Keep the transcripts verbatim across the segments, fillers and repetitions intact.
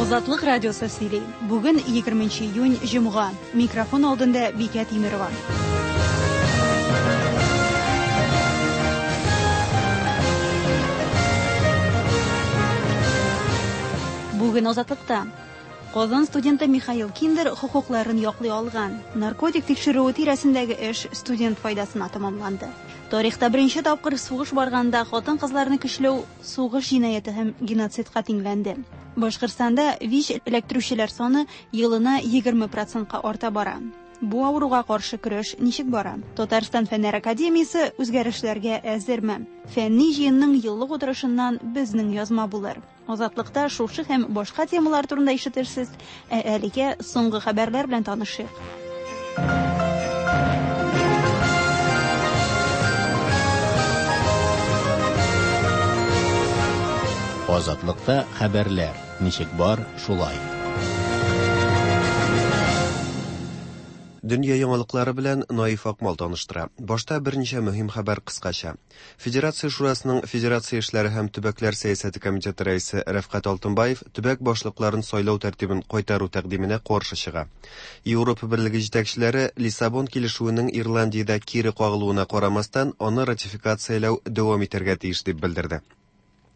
Азатлык радиосы сөйли. Бүген егерменче июнь, җомга. Микрофон алдында Бикә Тимерова. Бүген Азатлыкта Казан студенты Михаил Киндер хокукларын яклый алган. Наркотик тикшерүе тирәсендәге эш студент файдасына тәмамланды. Тарихта беренче тапкыр сугыш барганда хатын-кызларны көчләү сугыш җинаяте һәм геноцидка тиңләнде. Башкортстанда ВИЧ эләктерүчеләр саны елына егерме процентка арта бара. Бу авыруга каршы көрәш ничек бара? Татарстан Фәннәр академиясе үзгәрешләргә әзерме? Фәнни җыенның еллык утырышыннан безнең язма булыр. Азатлыкта шушы һәм башка темалар турында ишетерсез, ә әлегә соңгы хәбәрләр белән танышыйк. Азатлыкта хәбәрләр ничек бар, шулай. Дөнья яңалыклары белән Наиф Акмал таныштыра. Башта берничә мөһим хәбәр кыскача. Федерация Шурасының Федерация эшләре һәм төбәкләр сәясәте комитеты рәисе Рәфкать Алтынбаев төбәк башлыкларын сайлау тәртибен кайтару тәкъдименә каршы чыга. Европа Берлеге җитәкчеләре Лиссабон килешүенең Ирландиядә кире кагылуына карамастан, аны ратификацияләү дәвам итәргә тиеш дип белдерде.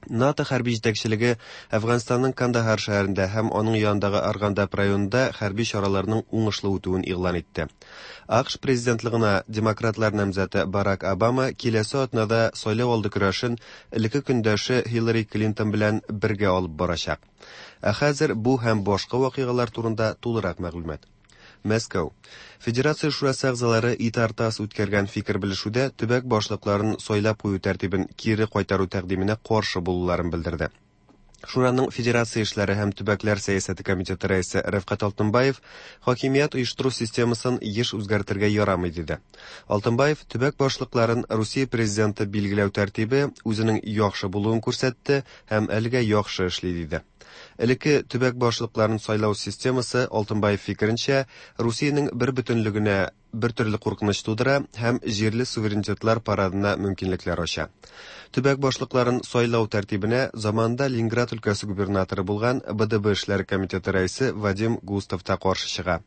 НАТО хәрби җитәкчелеге Әфганстанның Кандахар шәһәрендә һәм аның янындагы Аргандап районында хәрби чараларның уңышлы үтүен игълан итте. АКШ президентлыгына демократлар намзәте Барак Обама киләсе атнада сайлау алды көрәшен элекке көндәше Хиллари Клинтон белән бергә алып барачак. Ә хәзер бу һәм башка вакыйгалар турында тулырак мәгълүмат. Мәскәү. Федерация Шурасы әгъзалары ИТАР-ТАСС үткәргән фикер белешүдә төбәк башлыкларын сайлап кую тәртибен кире кайтару тәкъдименә каршы булуларын белдерде. Шураның Федерация эшләре һәм төбәкләр сәясәте комитеты рәисе Рәфкать Алтынбаев хакимият оештыру системасын еш үзгәртергә ярамый диде. Алтынбаев төбәк башлыкларын Русия президенты билгеләү тәртибе үзенең яхшы булуын күрсәтте һәм әлегә яхшы эшли диде. Элекке төбәк башлыкларын сайлау системасы Алтынбаев фикеренчә Русиянең бер бөтенлегенә бер төрле куркыныч тудыра һәм җирле суверенитетлар парадына мөмкинлекләр ача. Төбәк башлыкларын сайлау тәртибенә заманында Ленинград өлкәсе губернаторы булган Б Д Б эшләре комитеты рәисе Вадим Густав та каршы чыга.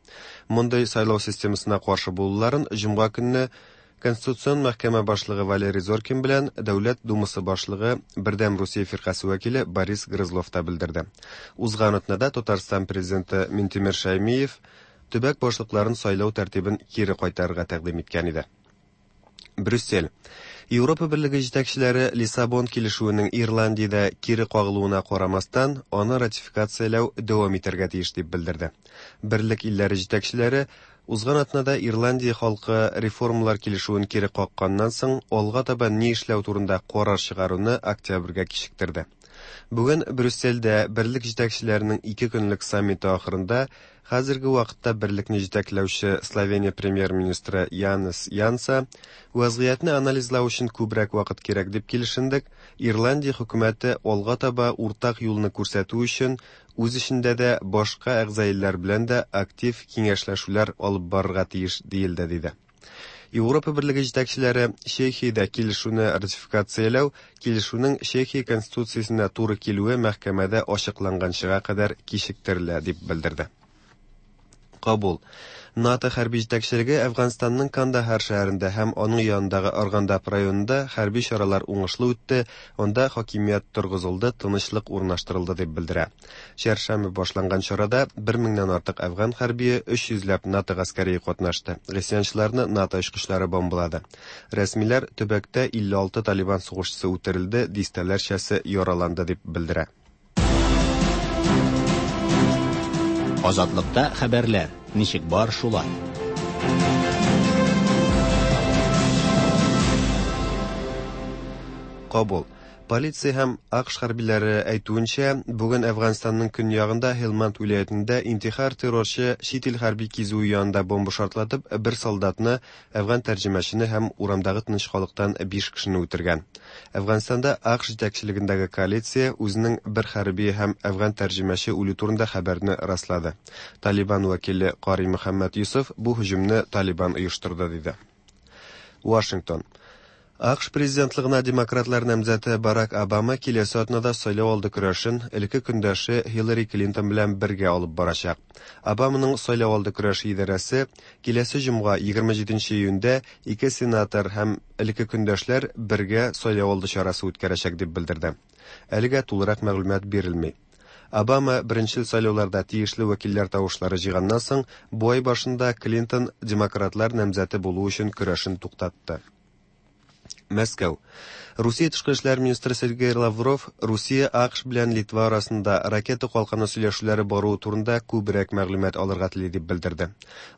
Мондый сайлау системасына каршы булуларын җомга көнне Конституцион мәхкәмә башлыгы Валерий Зоркин белән Дәүләт Думасы башлыгы Бердәм Русия фиркасе вәкиле Борис Грызлов та белдерде. Узган атнада Татарстан президенты Минтимер Шаймиев төбәк башлыкларын сайлау тәртибен кире кайтарырга тәкъдим иткән иде. Брюссель. Европа Берлеге җитәкчеләре Лиссабон килешүенең Ирландиядә кире кагылуына карамастан, аны ратификацияләү дәвам итәргә тиеш дип белдерде. Берлек илләре җитәкчеләре узган атнада Ирландия халкы реформалар килешүен кире какканнан соң алга таба ни эшләү турында карар чыгаруны октябрьгә кичектерде. Бүген Брюссельдә берлек җитәкчеләренең ике көнлек саммиты ахырында хәзерге вакытта берлекне җитәкләүче Словения премьер-министры Янес Янса вазгыятьне анализлау өчен күбрәк вакыт кирәк дип килешендек. Ирландия хөкүмәте алга таба уртак юлны күрсәтү өчен үз эчендә дә башка әгъза илләр белән дә актив киңәшләшүләр алып барырга тиеш диелде диде. Европа Берлеге җитәкчеләре Чехиядә килешүне ратификацияләү килешүнең Чехия конституциясенә туры килүе мәхкәмәдә ачыкланганчыга кадәр кичектерелә дип белдерде. Кабул. НАТО хәрби җитәкчелеге Әфганстанның Кандахар шәһәрендә һәм аның янындагы Аргандап районында хәрби чаралар уңышлы үтте, анда хакимият торгызылды, тынычлык урнаштырылды дип белдерә. Чәршәмбе башланган чарада бер меңнән артык әфган хәрбие, өч йөзләп НАТО гаскәре катнашты. Гыйсьянчыларны НАТО очкычлары бомбалады. Рәсмиләр төбәктә илле алты Талибан сугышчысы үтерелде, дистәләрчәсе яраланды дип белдерә. Азатлыкта хәбәрләр ничек бар, шулай. Кабул. Полиция һәм АКШ хәрбиләре әйтүенчә, бүген Әфганстанның көньягында Һелманд вилаятендә интихар террорчы чит ил хәрби кизүе янында бомба шартлатып, бер солдатны, әфган тәрҗемәчене һәм урамдагы тыныч халыктан биш кешене үтергән. Әфганстанда АКШ җитәкчелегендәге коалиция үзенең бер хәрби һәм әфган тәрҗемәче үлү турында хәбәрне раслады. Талибан вәкиле Кари Мөхәммәд Юсуф бу һөҗүмне Талибан оештырды диде. Вашингтон. А К Ш президентлыгына демократлар намзәте Барак Обама киләсе атнада сайлау алды көрәшен элекке көндәше Хиллари Клинтон белән бергә алып барачак. Обаманың сайлау алды көрәше идарәсе киләсе җомга, егерме җиденче июньдә, ике сенатор һәм элекке көндәшләр бергә сайлау алды чарасы үткәрәчәк дип белдерде. Әлегә тулырак мәгълүмат бирелми. Обама беренчел сайлауларда тиешле вәкилләр тавышлары җыйганнан соң, бу ай башында Клинтон демократлар намзәте булу өчен көрәшен туктатты. Мәскәү. Русия тышкы эшләр министры Сергей Лавров Русия, А К Ш белән Литва арасында ракета калканы сөйләшүләре баруы турында күбрәк мәгълүмат алырга тели дип белдерде.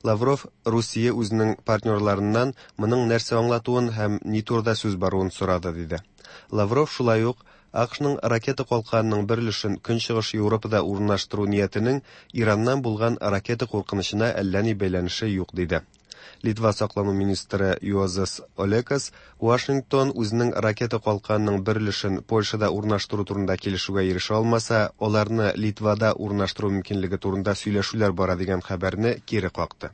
Лавров Русия үзенең партнерларыннан моның нәрсә аңлатуын һәм ни турыда сүз баруын сорады диде. Лавров шулай ук А К Шның ракета калканының бер өлешен Көнчыгыш Европада урнаштыру ниятенең Ираннан булган ракета куркынычына әллә ни бәйләнеше юк диде. Литва саклану министры Юозас Олекас Вашингтон үзенең ракета калканының бер өлешен Польшада урнаштыру турында килешүгә ирешә алмаса, аларны Литвада урнаштыру мөмкинлеге турында сөйләшүләр бара дигән хәбәрне кире какты.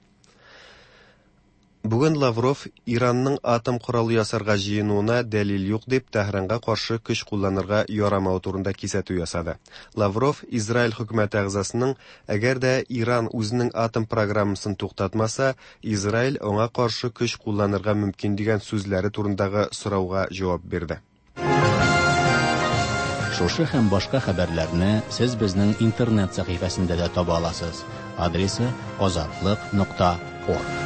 Бүген Лавров Иранның атом коралы ясарга җыенуына дәлил юк дип Тәһранга каршы көч кулланырга ярамавы турында кисәтү ясады. Лавров Израиль хөкүмәте әгъзасының әгәр дә Иран үзенең атом программасын туктатмаса, Израиль аңа каршы көч кулланырга мөмкин дигән сүзләре турындагы сорауга җавап бирде. Шушы һәм башка хәбәрләрне сез безнең интернет сәхифәсендә дә таба аласыз. Адресы: azatliq нокта org.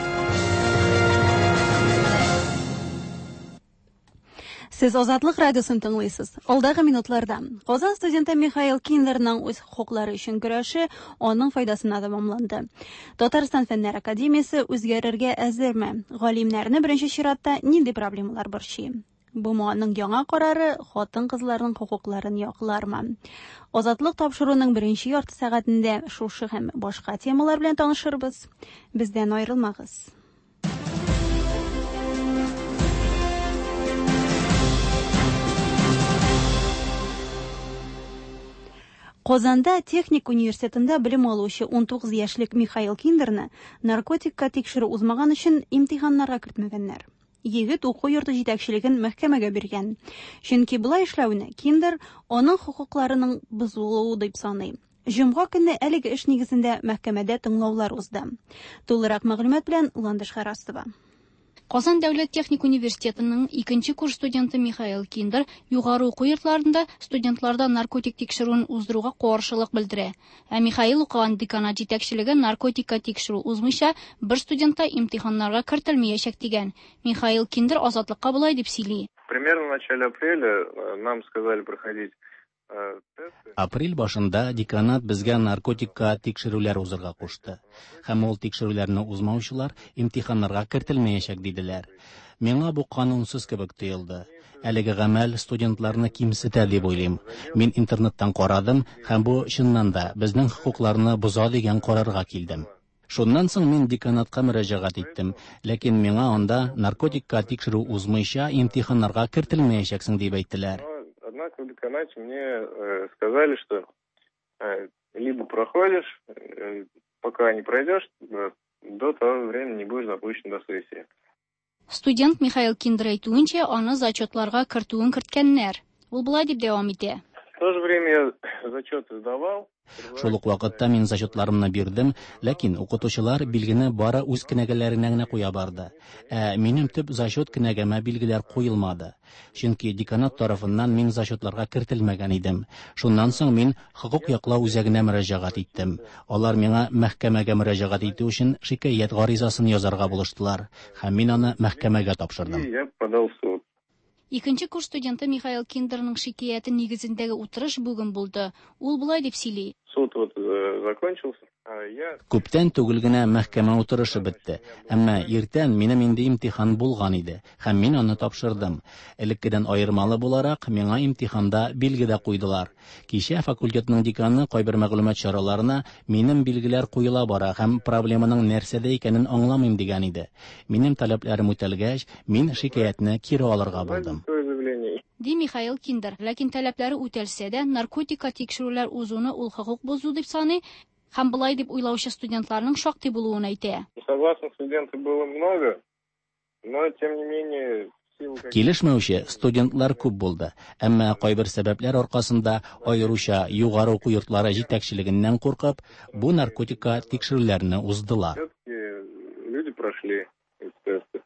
Сез Азатлык радиосын тыңлыйсыз. Алдагы минутларда Казан студенты Михаил Киндерның үз хокуклары өчен көрәше аның файдасына тәмамланды. Татарстан Фәннәр академиясе үзгәрергә әзерме? Галимнәрне беренче чиратта нинди проблемалар борчый? Б М Аның яңа карары хатын-кызларның хокукларын яклармы? Азатлык тапшыруының беренче ярты сәгатендә шушы һәм башка темалар белән танышырбыз. Бездән аерылмагыз. Казанда техник университетында белем алучы унтугыз яшьлек Михаил Киндерны наркотикка тикшерү узмаган өчен имтиханнарга кертмәгәннәр. Егет уку йорты җитәкчелеген мәхкәмәгә биргән. Чөнки болай эшләүне Киндер аның хокукларының бозылуы дип саный. Җомга көнне әлеге эш нигезендә мәхкәмәдә тыңлаулар узды. Тулырак мәгълүмат белән Ландыш Харасова. Казан дәүләт техник университетының икенче курс студенты Михаил Киндер югары уку йортларында студентларда наркотик тикшерүен уздыруга каршылык белдерә. Ә Михаил укыган деканат җитәкчелеге наркотикка тикшерү узмыйча бер студент та имтиханнарга кертелмәячәк дигән. Михаил Киндер Азатлыкка болай дип сөйли. Примерно в начале апреля э, нам сказали проходить э, тесты. Апрель башында деканат безгә наркотикка тикшерүләр узырга кушты. Һәм ул тикшерүләрне узмаучылар имтиханнарга кертелмәячәк диделәр. Миңа бу канунсыз кебек тоелды. Әлеге гамәл студентларны кимсетә дип уйлыйм. Мин интернеттан карадым һәм бу чыннан да безнең хокукларны боза дигән карарга килдем. Шуннан соң мин деканатка мөрәҗәгать иттем, ләкин миңа анда наркотикка тикшерү узмыйча имтиханнарга кертелмәячәксең дип әйттеләр. Но, однако, в деканате мне э, сказали, что э, либо проходишь, э, пока не пройдешь, э, до того времени не будешь допущен до сессии. Студент Михаил Киндер әйтүенчә, аны зачетларга кертүен керткәннәр. Ул болай дип дәвам итә. В то же время я зачеты сдавал. Шул ук вакытта мин зачетларымны бирдем, ләкин укытучылар билгене бары үз кенәгәләренә генә куя барды. Ә минем төп зачет кенәгәмә билгеләр куелмады. Чөнки деканат тарафыннан мин зачетларга кертелмәгән идем. Шуннан соң мин хокук яклау үзәгенә мөрәҗәгать иттем. Алар миңа мәхкәмәгә мөрәҗәгать итү өчен шикаять гаризасын язарга булыштылар һәм мин аны мәхкәмәгә тапшырдым. И я подал в суд. Икенче курс студенты Михаил Киндерның шикаяте нигезендәге утырыш бүген булды. Ул болай дип сөйли. Суд вот э, закончился. А я Күптән түгел генә мәхкәмә утырышы бетте. Әмма иртән минем инде имтихан булган иде һәм мин аны тапшырдым. Элеккедән аермалы буларак, миңа имтиханда билге дә куйдылар. Кичә факультетның деканы кайбер мәгълүмат чараларына минем билгеләр куела бара һәм проблеманың нәрсәдә икәнен аңламыйм дигән иде. Минем таләпләрем үтәлгәч, мин шикаятьне кире алырга булдым. свое заявление. Ди Михаил Киндер. Ләкин таләпләре үтәлсә дә, наркотикка тикшерүләр узуны ул хокук бозу дип саный һәм болай дип уйлаучы студентларның шактый булуын әйтә. Несогласных студентов было много, но тем не менее Килешмәүче студентлар күп булды, әмма кайбер сәбәпләр аркасында, аеруча югары уку йортлары җитәкчелегеннән куркып, бу наркотикка тикшерүләрне уздылар. Люди прошли тесты.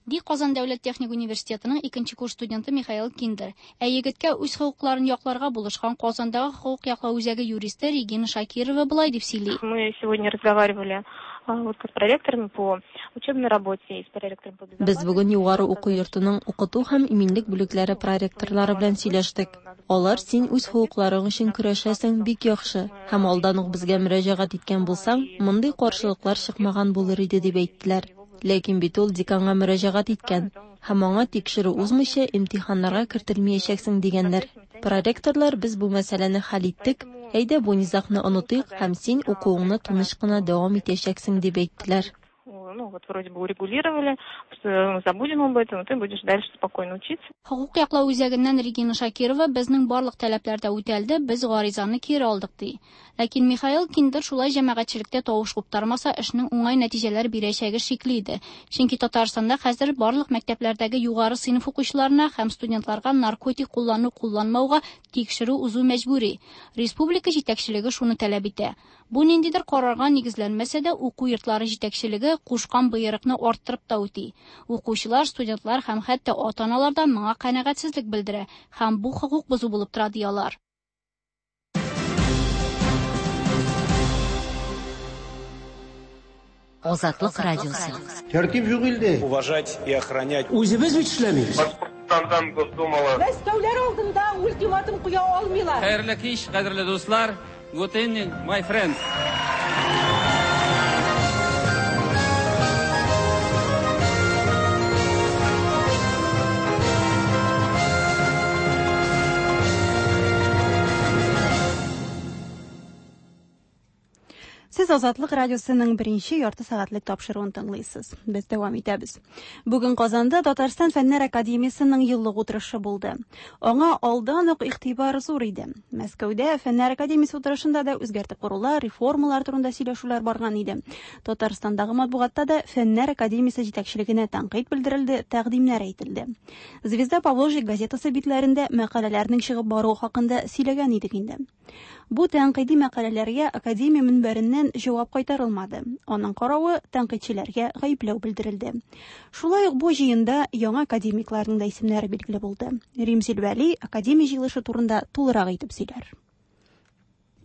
Ди Казан дәүләт техник университетының икенче курс студенты Михаил Киндер. Ә егеткә үз хокукларын якларга булышкан Казандагы хокук яклау үзәге юристы Регина Шакирова болай дип сөйли. Мы сегодня разговаривали вот с проректорами по учебной работе и с проректором по Без бүген югары уку йортының укыту һәм иминлек бүлекләре проректорлары белән сөйләштек. Алар син үз хокукларың өчен көрәшәсең, бик яхшы. Һәм алдан ук безгә мөрәҗәгать иткән булсаң, мондый каршылыклар чыкмаган булыр иде дип әйттеләр. Ләкин бит ул деканга мөрәҗәгать иткән һәм аңа тикшерү узмыйча имтиханнарга кертелмәячәксең дигәннәр. Проректорлар без бу мәсьәләне хәл иттек, әйдә бу низагны онытыйк һәм син укуыңны тыныч кына дәвам итәчәксең дип әйттеләр. Ну вот вроде бы урегулировали, что забудем об этом, ты будешь дальше спокойно учиться. Хокук яклау үзәгеннән Регина Шакирова безнең барлык таләпләр дә үтәлде, без гаризаны кире алдык ди. Ләкин Михаил Киндер шулай җәмәгатьчелектә тавыш куптармаса, эшнең уңай нәтиҗәләр бирәчәге шикле иде. Чөнки Татарстанда хәзер барлык мәктәпләрдәге югары сыйныф укучыларына һәм студентларга наркотик куллану кулланмауга тикшерү узу мәҗбүри. Республика җитәкчелеге шуны таләп итә. Бу ниндидер карарга нигезләнмәсә дә, уку йортлары җитәкчелеге кушкан боерыкны арттырып та үти. Укучылар, студентлар һәм хәтта ата-аналар да моңа канәгатьсезлек белдерә һәм бу хокук бозу булып тора ди алар. Азатлык радиосы. Тәртип юк илдә. Уважать и охранять. Үзебез бит эшләмибез. Башкортстандан Госдумала. Мәскәүләр алдында ультиматум куя алмыйлар. Хәерле кич, кадерле дуслар. Good evening, my friends. Сез Азатлык радиосының беренче ярты сәгатьлек тапшыруын тыңлыйсыз. Без дәвам итәбез. Бүген Казанда Татарстан Фәннәр академиясының еллык утырышы булды. Аңа алдан ук игътибар зур иде. Мәскәүдә Фәннәр академиясе утырышында да үзгәртеп корулар, реформалар турында сөйләшүләр барган иде. Татарстандагы матбугатта да Фәннәр академиясе җитәкчелегенә тәнкыйть белдерелде, тәкъдимнәр әйтелде. Звезда Поволжья газетасы битләрендә мәкаләләрнең чыгып баруы хакында сөйләгән идек инде. Бу тәнкыйди мәкаләләргә академия мөнбәреннән җавап кайтарылмады. Аның каравы тәнкыйтьчеләргә гаепләү белдерелде. Шулай ук бу җыенда яңа академикларның да исемнәре билгеле булды. Римзил Вәли академия җыелышы турында тулырак итеп сөйләр.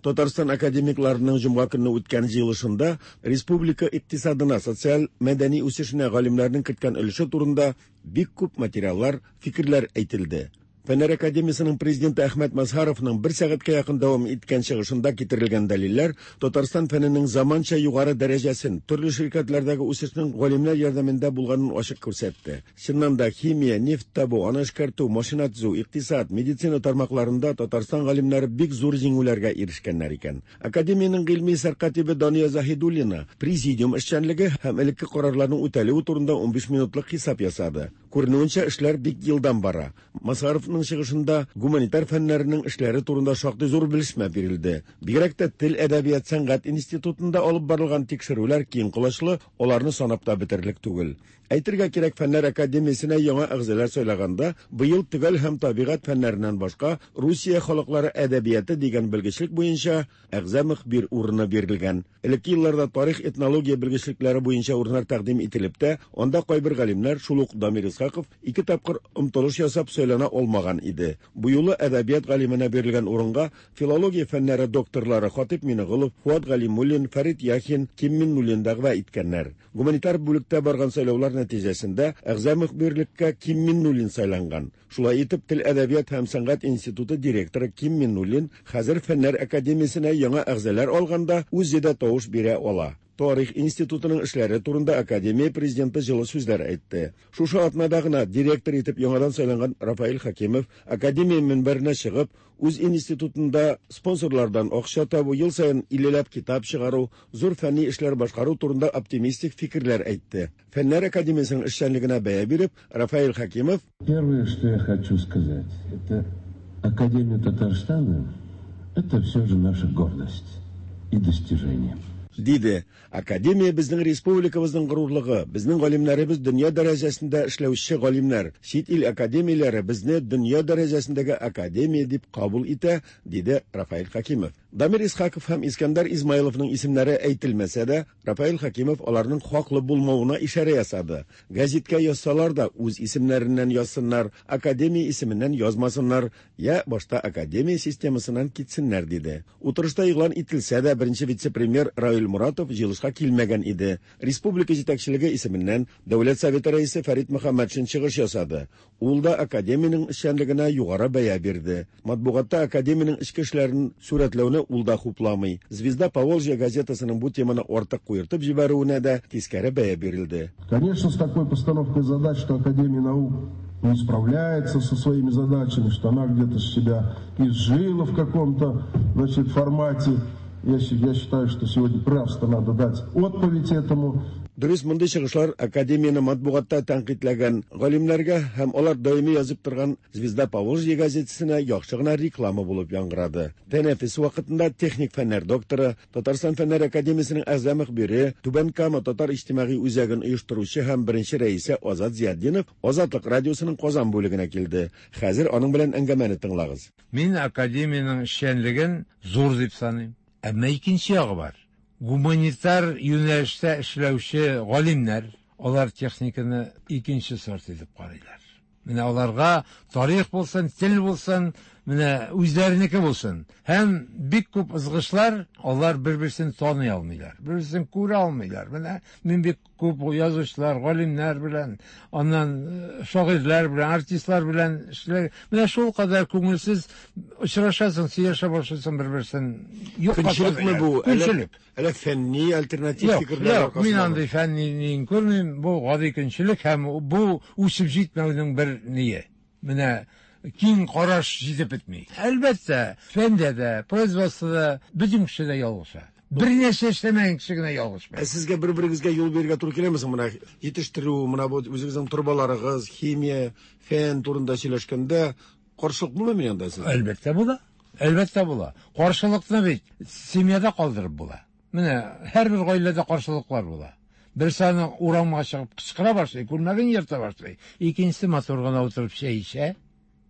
Татарстан академикларының җомга көнне үткән җыелышында республика икътисадына, социаль мәдәни үсешенә галимнәрнең керткән өлеше турында бик күп материаллар, фикерләр әйтелде. Фәннәр академиясының президенты Әхмәт Мазһаровның бер сәгатькә якын дәвам иткән чыгышында китерелгән дәлилләр Татарстан фәненең заманча югары дәрәҗәсен, төрле ширкәтләрдәге үсешнең галимнәр ярдәмендә булганын ачык күрсәтте. Чыннан да химия, нефть табу, аны эшкәртү, машина төзү, икътисад, медицина тармакларында Татарстан галимнәре бик зур җиңүләргә ирешкәннәр икән. Академиянең гыйльми сәркатибе Дания Заһидуллина президиум эшчәнлеге һәм элекке карарларның үтәлүе турында унбиш минутлык хисап ясады. Күренүенчә, эшләр бик елдан бара. Мазһаровның чыгышында гуманитар фәннәренең эшләре турында шактый зур белешмә бирелде. Бигрәк тә тел, әдәбият, сәнгать институтында алып барылган тикшерүләр киң колачлы, аларны санап та бетерерлек түгел. Әйтергә кирәк, Фәннәр академиясенә яңа әгъзалар сайлаганда, быел төгәл һәм табигать фәннәреннән башка Русия халыклары әдәбияты дигән белгечлек буенча әгъза мөхбир урыны бирелгән. Элекке елларда тарих, этнология белгечлекләре буенча урыннар тәкъдим ителеп тә, анда кайбер галимнәр, шул ук Дамир Исхаков, ике тапкыр омтылыш ясап сайлана алмаган иде. Бу юлы әдәбият галименә бирелгән урынга филология фәннәре докторлары Хатип Минеголов, Фуат Галимуллин, Фәрит Яхин, Ким Миннуллин дәгъва иткәннәр. Гуманитар бүлектә барган сайлаулар нәтиҗәсендә әгъза мөхбирлеккә Ким Миннуллин сайланган. Шулай итеп, Тел, әдәбият һәм сәнгать институты директоры Ким Миннуллин хәзер Фәннәр академиясенә яңа әгъзалар алганда үзе дә тавыш бирә ала. Тарих институтының эшләре турында академия президенты җылы сүзләр әйтте. Шушы атнада гына директор итеп яңадан сайланган Рафаэль Хакимов академия мөнбәренә чыгып, үз институтында спонсорлардан акча табу, ел саен иллеләп китап чыгару, зур фәнни эшләр башкару турында оптимистик фикерләр әйтте. Фәннәр академиясенең эшчәнлегенә бәя биреп, Рафаэль Хакимов: Первое, что я хочу сказать, это Академия Татарстана, это все же наша гордость и достижение. Диде. Академия безнең республикабызның горурлыгы, безнең галимнәребез дөнья дәрәҗәсендә эшләүче галимнәр. Чит ил академияләре безне дөнья дәрәҗәсендәге академия дип кабул итә, диде Рафаэль Хакимов. Дамир Исхаков һәм Искәндәр Измайловның исемнәре әйтелмәсә дә, Рафаэль Хакимов аларның хаклы булмавына ишарә ясады. Гәзиткә язсалар да үз исемнәреннән язсыннар, академия исеменнән язмасыннар, я башта академия системасыннан китсеннәр, диде. Утырышта игълан ителсә дә, беренче вице-премьер Раил Муратов җыелышка килмәгән иде. Республика җитәкчелеге исеменнән Дәүләт Советы рәисе Фәрит Мөхәммәтшин чыгыш ясады. Ул да академиянең эшчәнлегенә югары бәя бирде. Матбугатта академиянең эчке эшләрен сурәтләүне ул да хупламый. Звезда Поволжья газетасының бу теманы артык куертып җибәрүенә дә тискәре бәя бирелде. Конечно, с такой постановкой задач, что Академия наук не справляется со своими задачами, что она где-то себя изжила в каком-то, значит, формате. Я, я считаю, что сегодня просто надо дать отповедь этому. Дөрес, мондый чыгышлар академияне матбугатта тәнкыйтьләгән галимнәргә һәм алар даими язып торган Звезда Поволжья газетасына яхшы гына реклама булып яңгырады. Тәнәфес вакытында техник фәннәр докторы, Татарстан Фәннәр академиясенең әгъза мөхбире, Түбән Кама татар иҗтимагый үзәген оештыручы һәм беренче рәисе Азат Зиятдинов Азатлык радиосының Казан бүлегенә килде. Хәзер аның белән әңгәмәне тыңлагыз. Мин академиянең эшчәнлеген зур дип саныйм. Әмма икенче ягы бар. Гуманитар юнәлештә эшләүче галимнәр, алар техниканы икенче сорт итеп карыйлар. Менә аларга тарих булсын, тел булсын, менә үзләренеке булсын. Һәм бик күп ызгышлар, алар бер-берсен таный алмыйлар, бер-берсен күрә алмыйлар. Менә мин бик күп язучылар, галимнәр белән, аннан шагыйрьләр белән, артистлар белән эшләр. Менә шул кадәр күңелсез очрашасың, сөйләшә башлыйсың бер-берсен. Көнчелекме бу? Көнчелек. Әллә фәнни альтернатив фикерләр аркасында? Мин андый фәнни күрмим. Бу гади көнчелек һәм бу үсеп җитмәүнең бер ние. Менә киң караш җитеп бетми. Әлбәттә, фәндә дә, производствода бөтен кеше дә ялгыша. Бер нәрсә эшләмәгән кеше генә ялгышмый. Ә сезгә бер-берегезгә юл бирергә туры киләме соң? Менә җитештерү, менә бу үзегезнең торбаларыгыз, химия, фән турында сөйләшкәндә каршылык булмыймы анда сезгә? Әлбәттә була. Әлбәттә була. Каршылыкны бит семьяда калдырып була. Менә һәрбер гаиләдә каршылыклар була. Берсе аны урамга чыгып кычкыра башлый, күлмәген ерта башлый. Икенчесе матур гына утырып чәй эчә,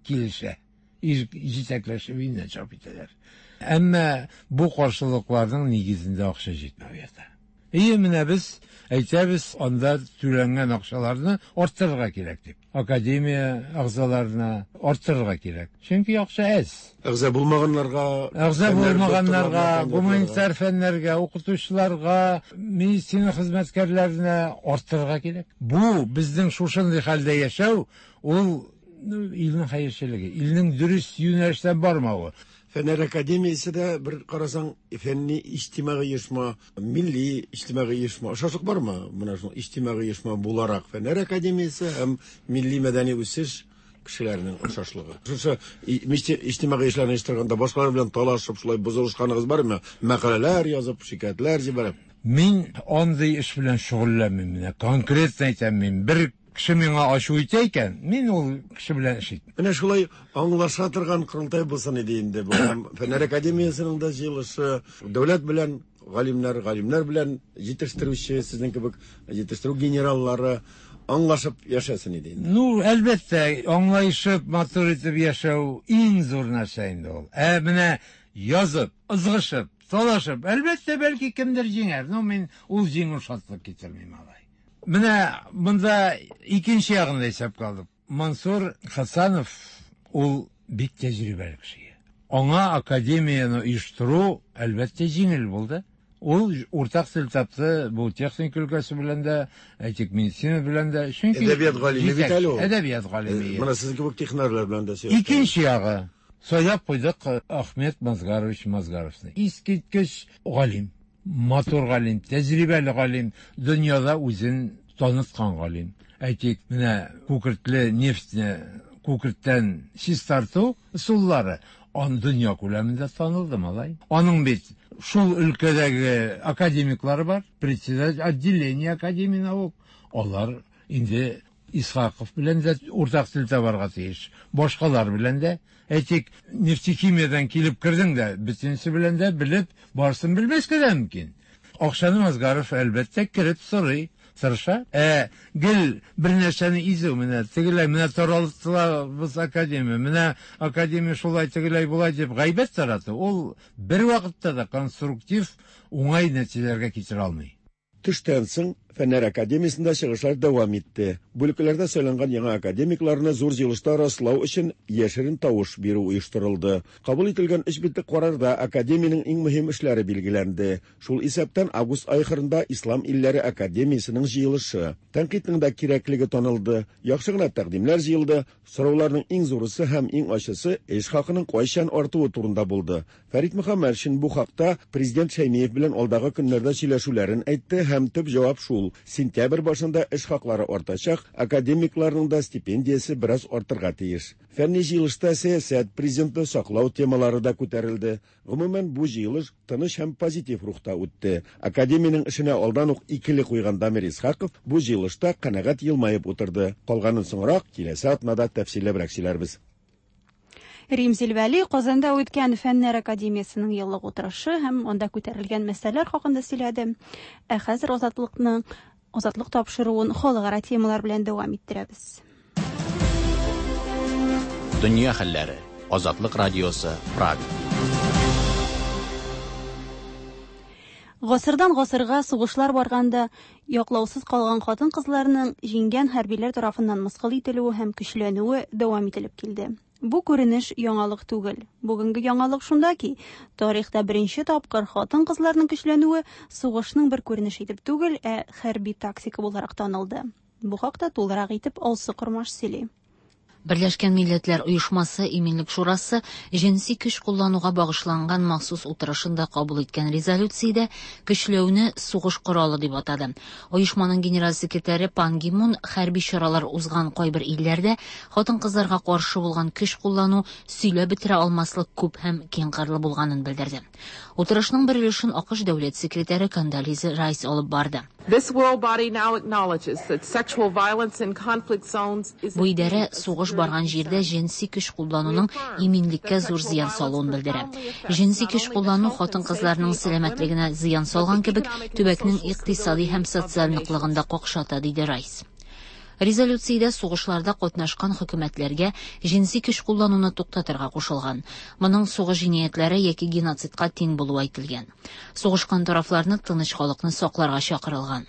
килешә. Җитәкләшеп өеннән чыгып китәләр. Әмма бу каршылыкларның нигезендә акча җитмәү ята. Ие, менә без әйтәбез, анда түләнгән акчаларны арттырырга кирәк дип. Академия әгъзаларына арттырырга кирәк. Чөнки акча әз. Әгъза булмаганнарга, әгъза булмаганнарга, гуманитар фәннәргә, укытучыларга, медицина хезмәткәрләренә арттырырга кирәк. Бу безнең шушындый хәлдә яшәү, ул илнең хәерчелеге, илнең дөрес юнәлештән бармавы. Фәннәр академиясе дә бер карасаң фәнни иҗтимагый оешма, милли иҗтимагый оешма. Охшашлык бармы? Менә шул иҗтимагый оешма буларак Фәннәр академиясе һәм милли мәдәни үсеш кешеләренең охшашлыгы. Шушы иҗтимагый эшләрне оештырганда башкалар белән талашып, шулай бозылышканыгыз бармы? Мәкаләләр язып, шикаятьләр җибәреп. Мин андый эш белән шөгыльләнмим. Менә конкретно әйтәм, мин бер кеше миңа ачу итә икән, мин ул кеше белән эш итмим. Менә шулай аңлаша торган корылтай булсын иде инде бу. Һәм Фәннәр академиясенең дә җыелышы дәүләт белән галимнәр, галимнәр белән җитештерүче, сезнең кебек җитештерү генераллары аңлашып яшәсен иде инде. Ну, әлбәттә, аңлашып, матур итеп яшәү иң зур нәрсә инде ул. Ә менә язып, ызгышып, талашып, әлбәттә, бәлки кемдер җиңәр. Ну, мин ул җиңү шатлык китермим алай. Менә монда икенче ягын да исәпкә алдык. Мансур Хасанов ул бик тәҗрибәле кеше. Аңа академияне оештыру әлбәттә җиңел булды. Ул уртак тел тапты бу техника өлкәсе белән дә, әйтик, медицина белән дә. Чөнки әдәбият галиме бит әле ул. Әдәбият галиме. Менә сезнең кебек технарлар белән дә сөйләште. Икенче ягы сайлап куйдык Ахмед Мазгарович Мазгаровны. Искиткеч галим. Матур галим, тәҗрибәле галим, дөньяда үзен таныткан галим. Әйтик, менә күкертле нефтьне күкерттән чистарту ысуллары ан дөнья күләмендә танылды, малай. Аның бит шул өлкәдәге академиклары бар, председатель отделения академии наук. Алар инде Исхаков белән дә уртак тел табарга тиеш. Башкалар белән дә. Әйтик, нефтехимиядан килеп кердең дә, бөтенесе белән дә белеп, барысын белмәскә дә мөмкин. Акчаны Мазгаров әлбәттә кереп сорый, тырыша. Ә гел бер нәрсәне изү, менә тегеләй, менә таралтылабыз академия, менә академия шулай тегеләй болай дип гайбәт тарату, ул бер вакытта да конструктив уңай нәтиҗәләргә китерә алмый. Төштән соң Фәннәр академиясендә чыгышлар дәвам итте. Бүлекләрдә сайланган яңа академикларны зур җыелышта раслау өчен яшерен тавыш бирү оештырылды. Кабул ителгән өч битлек карарда академиянең иң мөһим эшләре билгеләнде. Шул исәптән август ахырында Ислам илләре академиясенең җыелышы. Тәнкыйтьнең дә кирәклеге танылды. Яхшы гына тәкъдимнәр җыелды. Сорауларның иң зурысы һәм иң ачысы эш хакының кайчан артуы турында булды. Фәрит Мөхәммәтшин бу хакта президент Шәймиев белән алдагы көннәрдә сөйләшүләрен әйтте һәм төп җавап шул: сентябрь башында эш хаклары артачак, академикларның да стипендиясе бераз артырга тиеш. Фәнни җыелышта сәясәт, президентны саклау темалары да күтәрелде. Гомумән, бу җыелыш тыныч һәм позитив рухта үтте. Академиянең эшенә алдан ук икеле куйган Дамир Исхаков бу җыелышта канәгать елмаеп утырды. Калганын соңрак киләсе атнада тәфсилләбрәк сөйләрбез. Римзил Вәли Казанда үткән Фәннәр академиясенең еллык утырышы һәм анда күтәрелгән мәсьәләләр хакында сөйләде. Ә хәзер Азатлыкның Азатлык тапшыруын халыкара темалар белән дәвам иттерәбез. Дөнья хәлләре. Азатлык радиосы, Прага. Гасырдан гасырга сугышлар барганда яклаусыз калган хатын-кызларның җиңгән хәрбиләр тарафыннан мыскыл ителүе һәм көчләнүе дәвам ителеп килде. Бу күренеш яңалык түгел. Бүгенге яңалык шунда ки, тарихта беренче тапкыр хатын-кызларның көчләнүе сугышның бер күренеше итеп түгел, ә хәрби тактика буларак танылды. Бу хакта тулырак итеп Алсу Кормаш сөйли. Берләшкән Милләтләр Оешмасы Иминлек Шурасы җенси көч куллануга багышланган махсус утырышында кабул иткән резолюциядә көчләүне сугыш коралы дип атады. Оешманың генераль секретаре Пан Ги Мун хәрби чаралар узган кайбер илләрдә хатын-кызларга каршы булган көч куллану сөйләп бетерә алмаслык күп һәм киңкырлы булганын белдерде. Утырышның бер өлешен АКШ дәүләт секретаре Кондолиза Райс алып барды. This world body now acknowledges that sexual violence in conflict zones is Бу идарә сугыш барган җирдә җенси көч куллануның иминлеккә зур зыян салуын белдерә. Җенси көч куллану хатын-кызларның сәламәтлегенә зыян салган кебек, төбәкнең икътисади һәм социаль ныклыгын да какшата, диде Райс. Резолюциядә сугышларда катнашкан хөкүмәтләргә җенси көч куллануны туктатырга кушылган. Моның сугыш җинаятьләре яки геноцидка тиң булуы әйтелгән. Сугышкан тарафларны тыныч халыкны сакларга чакырылган.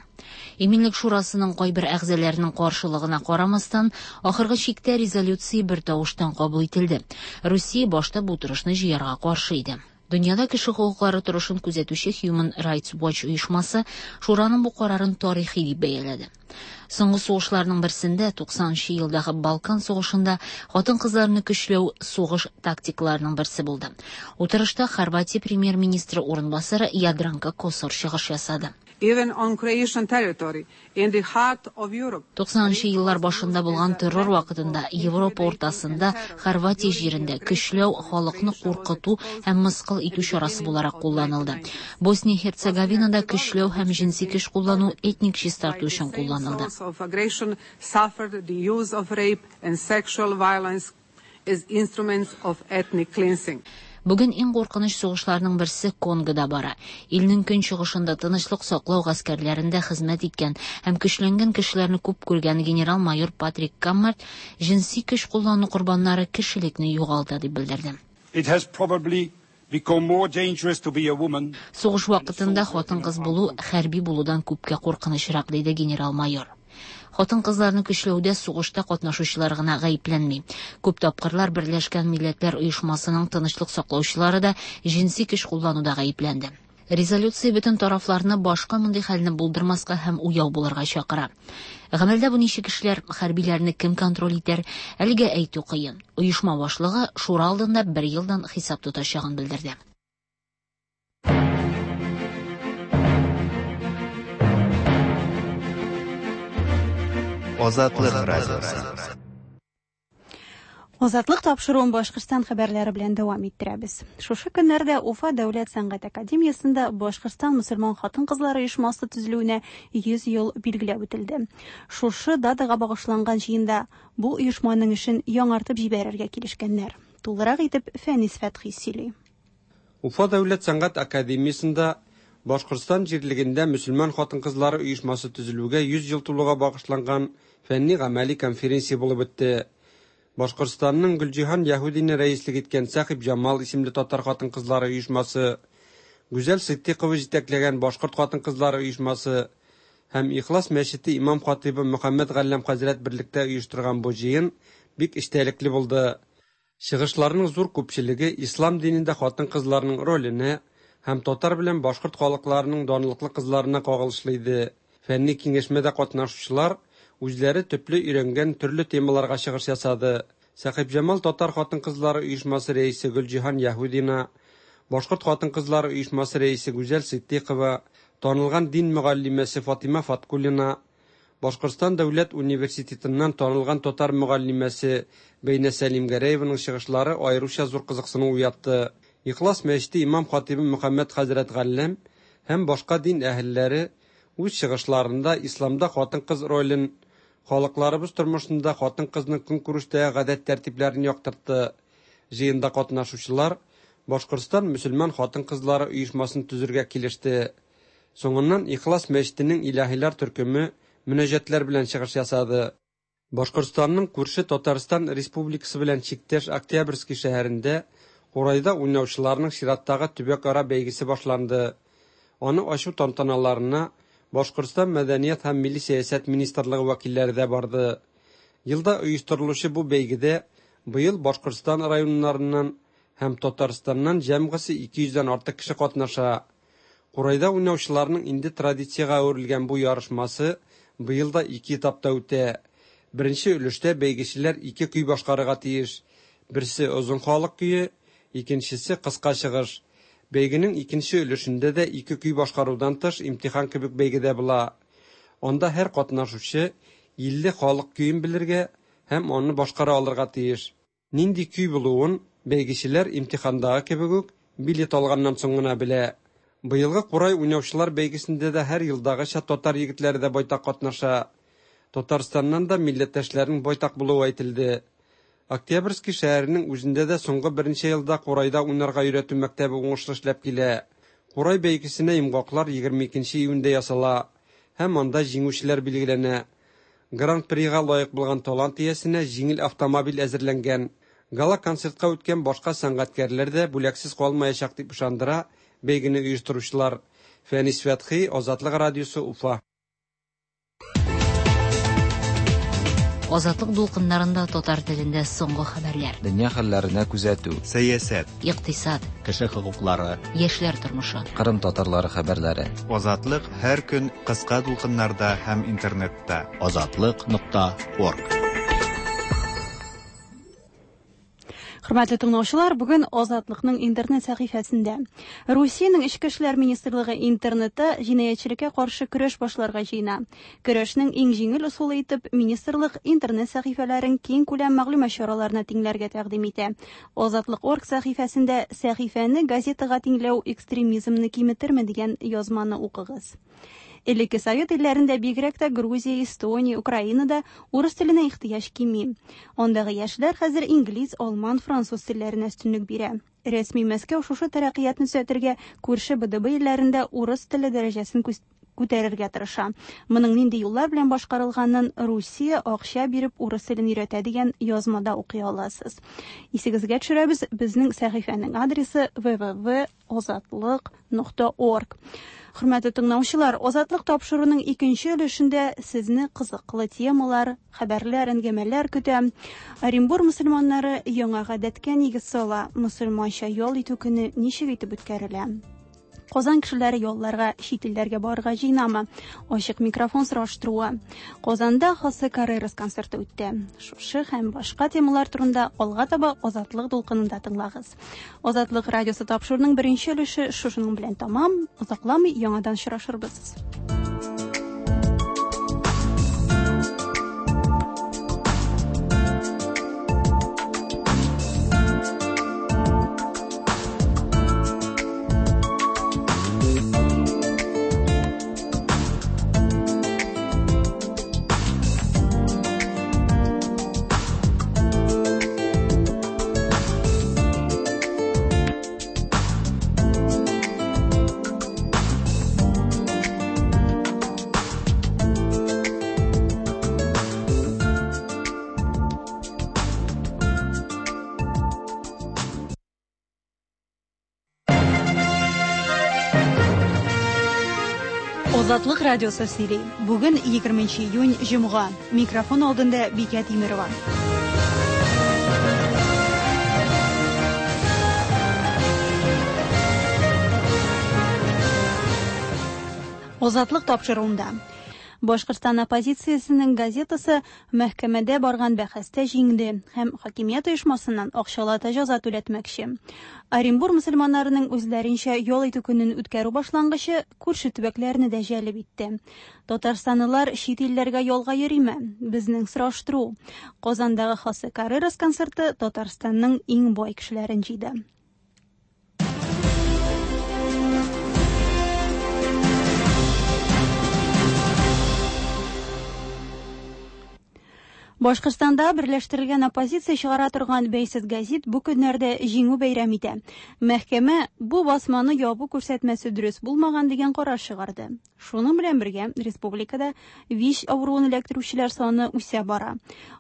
Иминлек Шурасының кайбер әгъзаларының каршылыгына карамастан, ахыргы чиктә резолюция бер тавыштан кабул ителде. Русия башта бу утырышны җыярга каршы иде. Дөньяда кеше хокуклары торышын күзәтүче Human Rights Watch оешмасы Шураның бу карарын тарихи дип бәяләде. Соңгы сугышларның берсендә, туксанынчы елдагы Балкан сугышында хатын-кызларны көчләү сугыш тактикаларының берсе булды. Утырышта Хорватия премьер-министры урынбасары Ядранка Косор чыгыш ясады. Even on Croatian territory, in the heart of Europe. туксанынчы еллар башында булган террор вакытында Европа уртасында Хорватия җирендә көчләү халыкны куркыту һәм мыскыл итү чарасы буларак кулланылды. Босния Херцеговинада көчләү һәм җенси көч куллану этник чистарту өчен кулланылды. Of aggression suffered the use of rape and sexual violence as instruments of ethnic cleansing. Бүген иң куркыныч сугышларның берсе Конгода бара. Илнең көнчыгышында тынычлык саклау гаскәрләрендә хезмәт иткән һәм көчләнгән кешеләрне күп күргән генерал-майор Патрик Каммарт җенси көч куллану корбаннары кешелекне югалта дип белдерде. It has probably become more dangerous to be a woman. Сугыш вакытында хатын-кыз булу хәрби булудан күпкә куркынычрак, диде генерал-майор. Хатын-кызларны көчләүдә сугышта катнашучылар гына гаепләнми. Күп тапкырлар Берләшкән Милләтләр Оешмасының тынычлык саклаучылары да җенси көч куллануда гаепләнде. Резолюция бөтен тарафларны башка мондый хәлне булдырмаска һәм уяу булырга чакыра. Гамәлдә бу ничек эшләр, хәрбиләрне кем контроль итәр, әлегә әйтү кыен. Оешма башлыгы шура алдында бер елдан хисап тотачагын белдерде. Азатлык радиосы. Азатлык тапшыруын Башкортстан хәбәрләре белән дәвам иттерәбез. Шушы көннәрдә Уфа дәүләт сәнгать академиясендә Башкортстан мөселман хатын-кызлары оешмасы төзелүенә йөз ел билгеләп үтелде. Шушы датага багышланган җыенда бу оешманың эшен яңартып җибәрергә килешкәннәр. Тулырак итеп Фәнис Фәтхи сөйли. Уфа дәүләт сәнгать академиясендә Башкортстан җирлегендә мөселман хатын-кызлары оешмасы төзелүгә йөз ел тулуга багышланган фәнни-гамәли конференция булып үтте. Башкортстанның Гөлҗиһан Яһудина рәислек иткән Сәхиб Җамал исемле татар хатын-кызлары оешмасы, Гүзәл Ситдикова җитәкләгән башкорт хатын-кызлары оешмасы һәм Ихлас мәчете имам хатибы Мөхәммәд Галләм хәзрәт берлектә оештырган бу җыен бик эчтәлекле булды. Чыгышларның зур күпчелеге ислам динендә хатын-кызларның роленә һәм татар белән башкорт халыкларының данлыклы кызларына кагылышлы иде. Фәнни киңәшмәдә катнашучылар үзләре төпле өйрәнгән төрле темаларга чыгыш ясады. Сәхибҗамал татар хатын-кызлары оешмасы рәисе Гөлҗиһан Яһудина, башкорт хатын-кызлары оешмасы рәисе Гүзәл Ситдикова, танылган дин мөгаллимәсе Фатима Фаткуллина, Башкортстан дәүләт университетыннан танылган татар мөгаллимәсе Бәйнә Сәлимгәрәеваның чыгышлары аеруча зур кызыксыну уятты. Ихлас мәчете имам хатибы Мөхәммәд хәзрәт Галләм һәм башка дин әһелләре үз чыгышларында исламда хатын-кыз ролен, халыкларыбыз тормышында хатын-кызның көнкүрештәге гадәт тәртипләрен яктыртты. Җыенда катнашучылар Башкортстан мөселман хатын-кызлары оешмасын төзергә килеште. Соңыннан Ихлас мәчетенең илаһилар төркеме мөнәҗәтләр белән чыгыш ясады. Башкортстанның күрше Татарстан Республикасы белән чиктәш Октябрьский шәһәрендә Курайда уйнаучыларның чираттагы төбәкара бәйгесе башланды. Аны ачу тантаналарына Башкортстан Мәдәният һәм милли сәясәт министрлыгы вәкилләре дә барды. Елда оештырылучы бу бәйгедә быел Башкортстан районнарыннан һәм Татарстаннан җәмгысе ике йөздән артык кеше катнаша. Курайда уйнаучыларның инде традициягә әверелгән бу ярышмасы быел да ике этапта үтә. Беренче өлештә бәйгечеләр ике көй башкарырга тиеш. Берсе озын халык көе, икенчесе кыска чыгыш. Бәйгенең икенче өлешендә дә ике көй башкарудан тыш имтихан кебек бәйгедә була. Анда һәр катнашучы илле халык көен белергә һәм аны башкара алырга тиеш. Нинди көй булуын бәйгечеләр имтихандагы кебек үк билет алганнан соң гына белә. Быелгы Курай уйнаучылар бәйгесендә дә һәр елдагыча татар егетләре дә байтак катнаша. Татарстаннан да милләттәшләрнең байтак булуы әйтелде. Октябрьский шәһәренең үзендә дә соңгы берничә елда Курайда уйнарга өйрәтү мәктәбе уңышлы эшләп килә. Курай бәйгесенә йомгаклар егерме икенче июньдә ясала һәм анда җиңүчеләр билгеләнә. Гран-прига лаек булган талант иясенә җиңел автомобиль әзерләнгән. Гала-концертка үткән башка сәнгатькәрләр дә бүләксез калмаячак дип ышандыра бәйгене оештыручылар. Фәнис Фәтхи, Азатлык радиосы, Уфа. Азатлык дулкыннарында татар телендә соңгы хәбәрләр. Дөнья хәлләренә күзәтү, сәясәт, икътисад, кеше хокуклары, яшьләр тормышы, Кырым татарлары хәбәрләре. Азатлык һәр көн кыска дулкыннарда һәм интернетта. Азатлык нокта орг. Хөрмәтле тыңлаучылар, бүген Азатлыкның интернет сәхифәсендә Русиянең Эчке эшләр министрлыгы интернетта җинаятьчелеккә каршы көрәш башларга җыена. Көрәшнең иң җиңел ысулы итеп министрлык интернет сәхифәләрен киң күләм мәгълүмат чараларына тиңләргә тәкъдим итә. Азатлык.орг сәхифәсендә сәхифәне газетага тиңләү экстремизмны киметерме дигән язманы укыгыз. Элекке Совет илләрендә бигрәк тә Грузия, Эстония, Украинада урыс теленә ихтыяҗ кими. Андагы яшьләр хәзер инглиз, алман, француз телләренә өстенлек бирә. Рәсми Мәскәү шушы тәрәккыятны төзәтергә күрше Б Д Б илләрендә урыс теле дәрәҗәсен күтәрергә тырыша. Моның нинди юллар белән башкарылганын Русия акча биреп урыс телен өйрәтә дигән язмада укый аласыз. Исегезгә төшерәбез, безнең сәхифәнең адресы w w w озатлык нокта орг. Хөрмәтле тыңлаучылар, Азатлык тапшыруының икенче өлешендә сезне кызыклы темалар, хәбәрләр, әңгәмәләр көтә. Оренбур мөселманнары яңа гадәткә нигез сала, мөселманча ял итү көне ничек итеп үткәрелә? Казан кешеләре ялларга, чит илләргә барырга җыенамы? Ачык микрофон сораштыруы. Казанда Хосе Каррерас концерты үтте. Шушы һәм башка темалар турында алга таба Азатлык дулкынында тыңлагыз. Азатлык радиосы тапшыруының беренче өлеше шушының белән тамам. Озакламый яңадан очрашырбыз. Азатлык радиосы сөйли. Бүген егерменче июнь, җомга. Микрофон алдында Бикә Тимерова. Азатлык тапшыруында. Башкортстан оппозициясенең газетасы мәхкәмәдә барган бәхәстә җиңде һәм хакимият оешмасыннан акчалата җәза түләтмәкче. Оренбур мөселманнарының үзләренчә ял итү көнен үткәрү башлангычы күрше төбәкләрне дә җәлеп итте. Татарстанлылар чит илләргә ялга йөриме? Безнең сораштыру. Казандагы Хосе Каррерас концерты Татарстанның иң бай кешеләрен җыйды. Башкортстанда берләштерелгән оппозиция чыгара торган бәйсез газет бу көннәрдә җиңү бәйрәм итә. Мәхкәмә бу басманы ябу күрсәтмәсе дөрес булмаган дигән карар чыгарды. Шуның белән бергә республикада ВИЧ авыруын эләктерүчеләр саны үсә бара.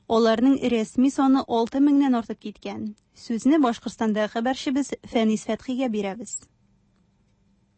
Аларның рәсми саны алты меңнән артып киткән. Сүзне Башкортстандагы хәбәрчебез Фәнис Фәтхигә бирәбез.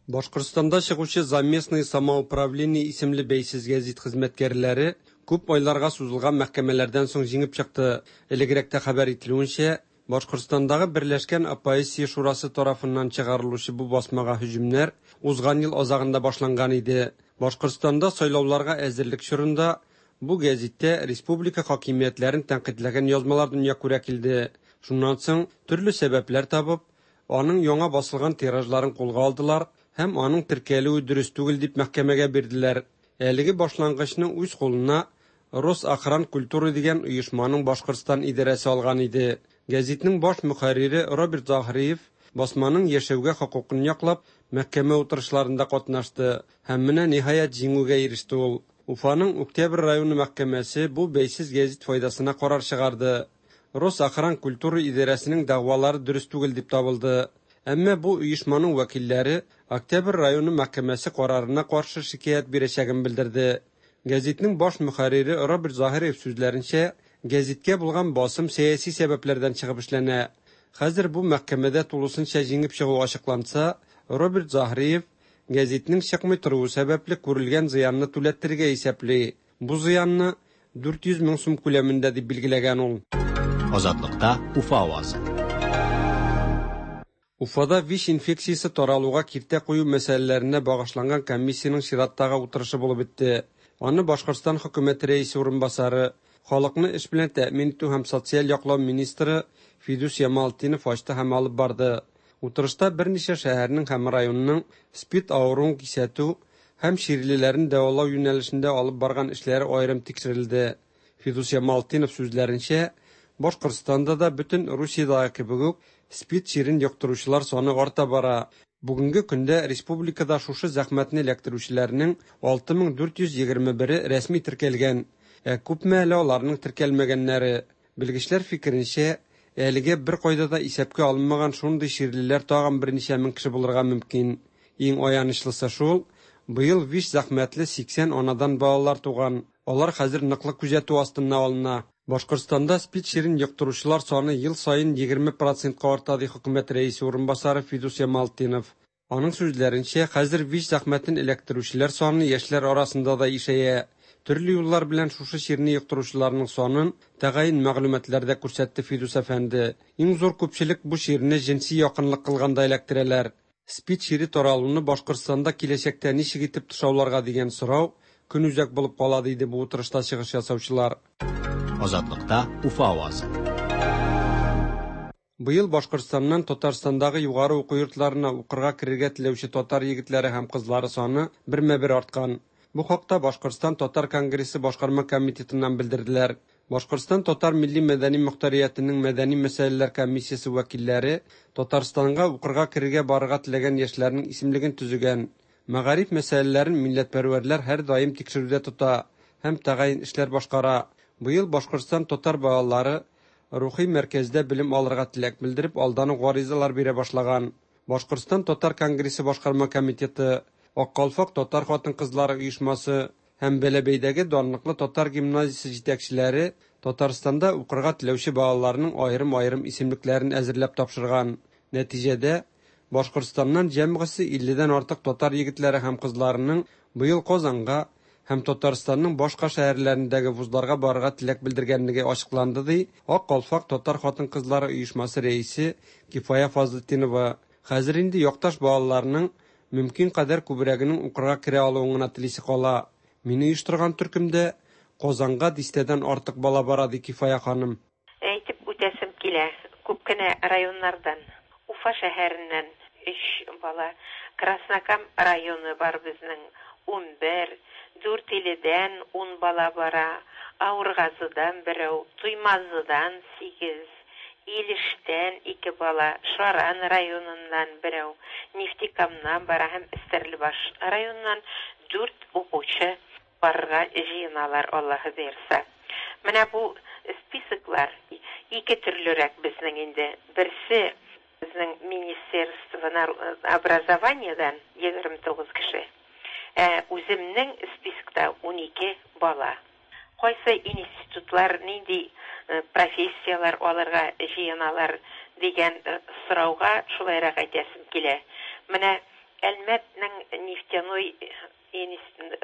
Башкортстанда чыгучы «За местное самоуправление» исемле бәйсез гәзит хезмәткәрләре күп айларга сузылган мәхкәмәләрдән соң җиңеп чыкты. Элегрәк тә хәбәр ителүенчә, Башкортстандагы Берләшкән оппозиция шурасы тарафыннан чыгарылучы бу басмага һөҗүмнәр узган ел азагында башланган иде. Башкортстанда сайлауларга әзерлек чорында бу гәзиттә республика хакимиятләрен тәнкыйтьләгән язмалар дөнья күрә килде. Шуннан соң төрле сәбәпләр табып, аның яңа басылган тиражларын кулга алдылар һәм аның теркәлүе дөрес түгел дип мәхкәмәгә бирделәр. Әлеге башлангычны үз кулына Росохран культуры дигән оешманың Башкортстан идарәсе алган иде. Гәзитнең баш мөхәррире Роберт Заһриев басманың яшәүгә хокукын яклап, мәхкәмә утырышларында катнашты һәм менә ниһаять җиңүгә иреште ул. Уфаның Октябрь районы мәхкәмәсе бу бәйсез гәзит файдасына карар чыгарды. Росохран культура идарәсенең дәгъвалары дөрес түгел дип табылды. Әмма бу оешманың вәкилләре Октябрь районы мәхкәмәсе карарына каршы шикаять бирәчәген белдерде. Гәзитнең баш мөхәррире Роберт Заһириев сүзләренчә, гәзиткә булган басым сәяси сәбәпләрдән чыгып эшләнә. Хәзер бу мәхкәмәдә тулысынча җиңеп чыгу ачыкланса, Роберт Заһриев гәзитнең чыкмый торуы сәбәпле күрелгән зыянны түләттерергә исәпли. Бу зыянны дүрт йөз мең сум күләмендә дип билгеләгән ул. Азатлыкта Уфа авазы. Уфада ВИЧ инфекциясе таралуга киртә кую мәсьәләләренә багышланган комиссиянең чираттагы утырышы булып үтте. Аны Башкортстан хөкүмәте рәисе урынбасары, халыкны эш белән тәэмин итү һәм социаль яклау министры Фидус Ямалтдинов ачты һәм алып барды. Утырышта берничә шәһәрнең һәм районның СПИД авыруын кисәтү һәм чирлеләрен дәвалау юнәлешендә алып барган эшләре аерым тикшерелде. Фидус Ямалтдинов сүзләренчә, Башкортстанда да бөтен Русиядәге кебек үк СПИД чирен йоктыручылар саны арта бара. Бүгенге көндә республикада шушы зәхмәтне эләктерүчеләрнең алты мең дүрт йөз егерме бере рәсми теркәлгән, ә күпме әле аларның теркәлмәгәннәре. Белгечләр фикеренчә, әлегә бер кайда да исәпкә алынмаган шундый чирлеләр тагын берничә мең кеше булырга мөмкин. Иң аянычлысы шул, быел ВИЧ зәхмәтле сиксән анадан балалар туган. Алар хәзер ныклы күзәтү астына алына. Башкортстанда СПИД чирен йоктыручылар саны ел саен егерме процентка арта, ди хөкүмәт рәисе урынбасары Фидус Ямалтдинов. Аның сүзләренчә, хәзер ВИЧ зәхмәтен эләктерүчеләр саны яшьләр арасында да ишәя. Төрле юллар белән шушы чирне йоктыручыларның санын тәгаен мәгълүматларда күрсәтте Фидус әфәнде. Иң зур күпчелек бу чирне җенси якынлык кылганда эләктерәләр. СПИД чире таралуны Башкортстанда киләчәктә ничек итеп тышауларга дигән сорау көнүзәк булып кала, диде бу утырышта чыгыш ясаучылар. Азатлыкта Уфа авазы. Быел Башкортстаннан Татарстандагы югары уку йортларына укырга керергә теләүче татар егетләре һәм кызлары саны бермә-бер арткан. Бу хакта Башкортстан Татар конгрессы башкарма комитетыннан белдерделәр. Башкортстан Татар милли мәдәни мохтариятының мәдәни мәсьәләләр комиссиясе вәкилләре Татарстанга укырга керергә барырга теләгән яшьләрнең исемлеген төзегән. Мәгариф мәсьәләләрен милләтпәрвәрләр һәр даим тикшерүдә тота һәм тәгаен эшләр башкара. Быел Башкортстан татар балалары рухи мәркәздә белем алырга теләк белдереп, алдан ук гаризалар бирә башлаган. Башкортстан Татар конгрессы башкарма комитеты, Ак калфак татар хатын-кызлары оешмасы һәм Бәләбәйдәге данлыклы татар гимназиясе җитәкчеләре Татарстанда укырга теләүче балаларның аерым-аерым исемлекләрен әзерләп тапшырган. Нәтиҗәдә Башкортстаннан җәмгысе илледән артык татар егетләре һәм кызларының быел Казанга һәм Татарстанның башка шәһәрләрендәге вузларга барырга теләк белдергәнлеге ачыкланды, ди Ак калфак татар хатын-кызлары оешмасы рәисе Кифая Фазлытдинова. Хәзер инде якташ балаларының мөмкин кадәр күбрәгенең укырга керә алуын гына телисе кала. Мин оештырган төркемдә Казанга дистәдән артык бала бара, ди Кифая ханым. Әйтеп үтәсем килә, күп кенә районнардан, Уфа шәһәреннән өч бала, Краснокам районы бар безнең ун бер, Дүртиледән ун бала бара, Авыргазыдан берәү, Туймазыдан сигез, Илештән ике бала, Шаран районыннан берәү, Нефтекамнан бара һәм Стәрлебаш районыннан дүрт укучы барырга җыеналар, Аллаһы боерса. Менә бу списоклар ике төрлерәк безнең инде. Берсе безнең Министерство образованиядан егерме тугыз кеше. Ә үземнең спискта ун ике бала. Кайсы институтлар нинди профессиялар алырга җыеналар дигән сорауга шулайрак әйтәсем килә. Менә Әлмәтнең нефтяной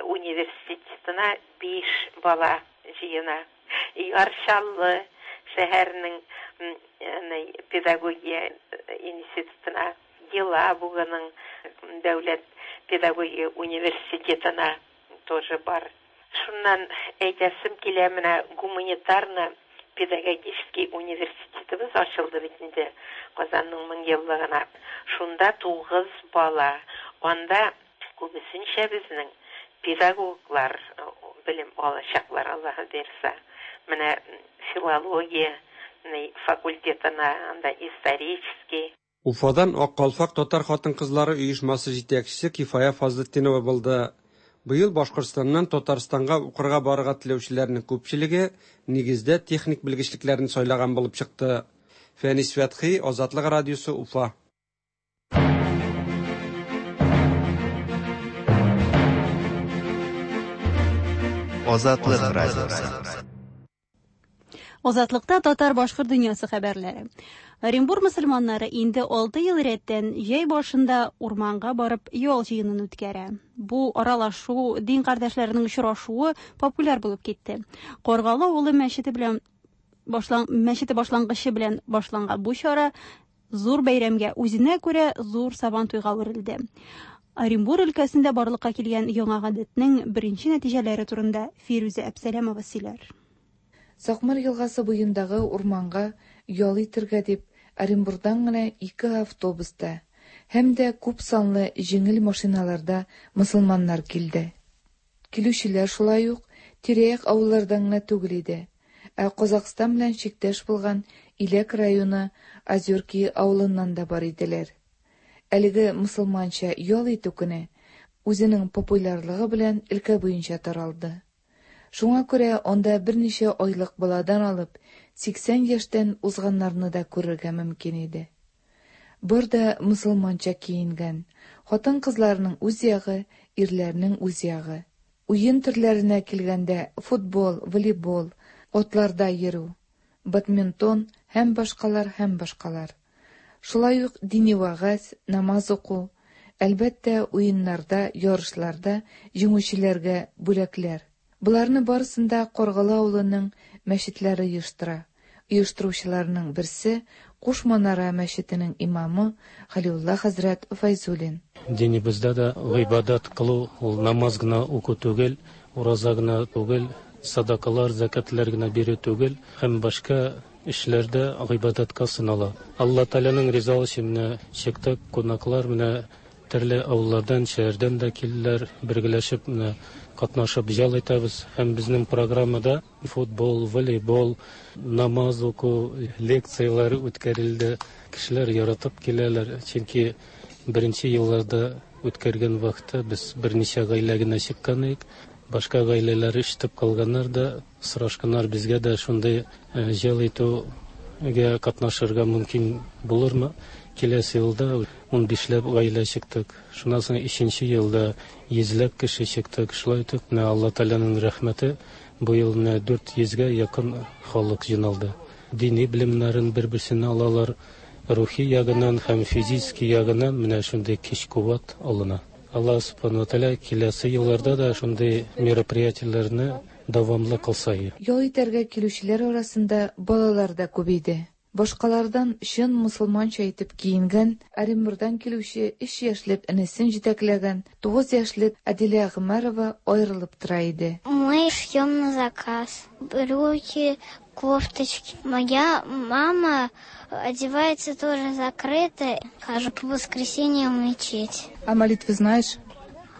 университетына биш бала җыена. Яр Чаллы шәһәренең педагогия институтына, Елабуганың дәүләт педагогия университетына тоже бар. Шуннан әйтәсем килә, менә гуманитарно-педагогический университетыбыз ачылды бит инде Казанның мең еллыгына. Шунда тугыз бала. Анда күбесенчә безнең педагоглар белем алачаклар, Аллаһы бирсә. Менә филология факультетына, анда исторический. Уфадан Ак калфак татар хатын-кызлары оешмасы җитәкчесе Кифая Фазлытдинова булды. Быел Башкортстаннан Татарстанга укырга барырга теләүчеләрнең күпчелеге нигездә техник белгечлекләрне сайлаган булып чыкты. Фәнис Фәтхи, Азатлык радиосы, Уфа. Азатлык радиосы. Азатлыкта татар башкорт дөньясы хәбәрләре. Оренбур мөселманнары инде алты ел рәттән җәй башында урманга барып ял җыенын үткәрә. Бу аралашу, дин кардәшләренең очрашуы популяр булып китте. Каргалы авылы мәчете белән башлан мәчете башлангычы белән башланган бу чара зур бәйрәмгә, үзенә күрә зур сабантуйга әверелде. Оренбур өлкәсендә барлыкка килгән яңа гадәтнең беренче нәтиҗәләре турында Фирүзә Әпсәләмова сөйләр. Сакмар елгасы буендагы урманга ял итергә дип Оренбурдан гына ике автобуста һәм дә күп санлы җиңел машиналарда мөселманнар килде. Килүчеләр шулай ук тирә-як авыллардан гына түгел иде, ә Казахстан белән чиктәш булган Иләк районы Озерки авылыннан да бар иделәр. Әлеге мөселманча ял итү көне үзенең популярлыгы белән өлкә буенча таралды. Шуңа күрә анда берничә айлык баладан алып сиксән яшьтән узганнарны да күрергә мөмкин иде. Бар да мөселманча киенгән, хатын-кызларның үз ягы, ирләрнең үз ягы. Уен төрләренә килгәндә футбол, волейбол, атларда йөрү, бадминтон һәм башкалар һәм башкалар. Шулай ук дини вәгазь, намаз уку, әлбәттә, уеннарда, ярышларда җиңүчеләргә бүләкләр. Буларны барысын да Каргалы авылының мәчетләре оештыра. Оештыручыларның берсе Куш Манара мәчетенең имамы Халиулла хәзрәт Файзуллин. Динебездә дә гыйбадәт кылу ул намаз гына уку түгел, ураза гына түгел, садакалар, зәкәтләр генә бирү түгел, һәм башка эшләрдә гыйбадәткә сынала. Алла Тәгаләнең ризалыгы өчен менә чиктә кунаклар менә төрле авыллардан, шәһәрдән дә килделәр, бергәләшеп менә катнашып ял итәбез. Һәм безнең программада футбол, волейбол, намаз уку, лекцияләр үткәрелде. Кешеләр яратып киләләр, чөнки беренче елларда үткәргән вакытта без берничә гаилә генә чыккан идек. Башка гаиләләр ишетеп калганнар да, сорашканнар, безгә дә шундый ял итүгә катнашырга мөмкин булырмы? Киләсе елда ун бишләп гаилә чыктык. Шуннан соң өченче елда йөзләп кеше чыктык. Шулай итеп, менә Алла Тәгаләнең рәхмәте, бу ел менә дүрт йөзгә якын халык җыйналды. Дини белемнәрен бер-берсеннән алалар, рухи ягыннан һәм физический ягыннан менә шундый көч-куәт алына. Аллаһ Субхану ва Тааля киләсе елларда да шундый мероприятиеләрне дәвамлы кылса. Ял итәргә килүчеләр арасында балалар да күп иде. Башкалардан чын мусульманча итеп киенгән, Оренбургтан килүче өч яшьлек энесен җитәкләгән тугыз яшьлек Адилә Гомәрова аерылып тора иде. Мы шьем на заказ. Брюки, кофточки. Моя мама одевается тоже закрыто. Хожу по воскресеньям в мечеть. А молитвы знаешь?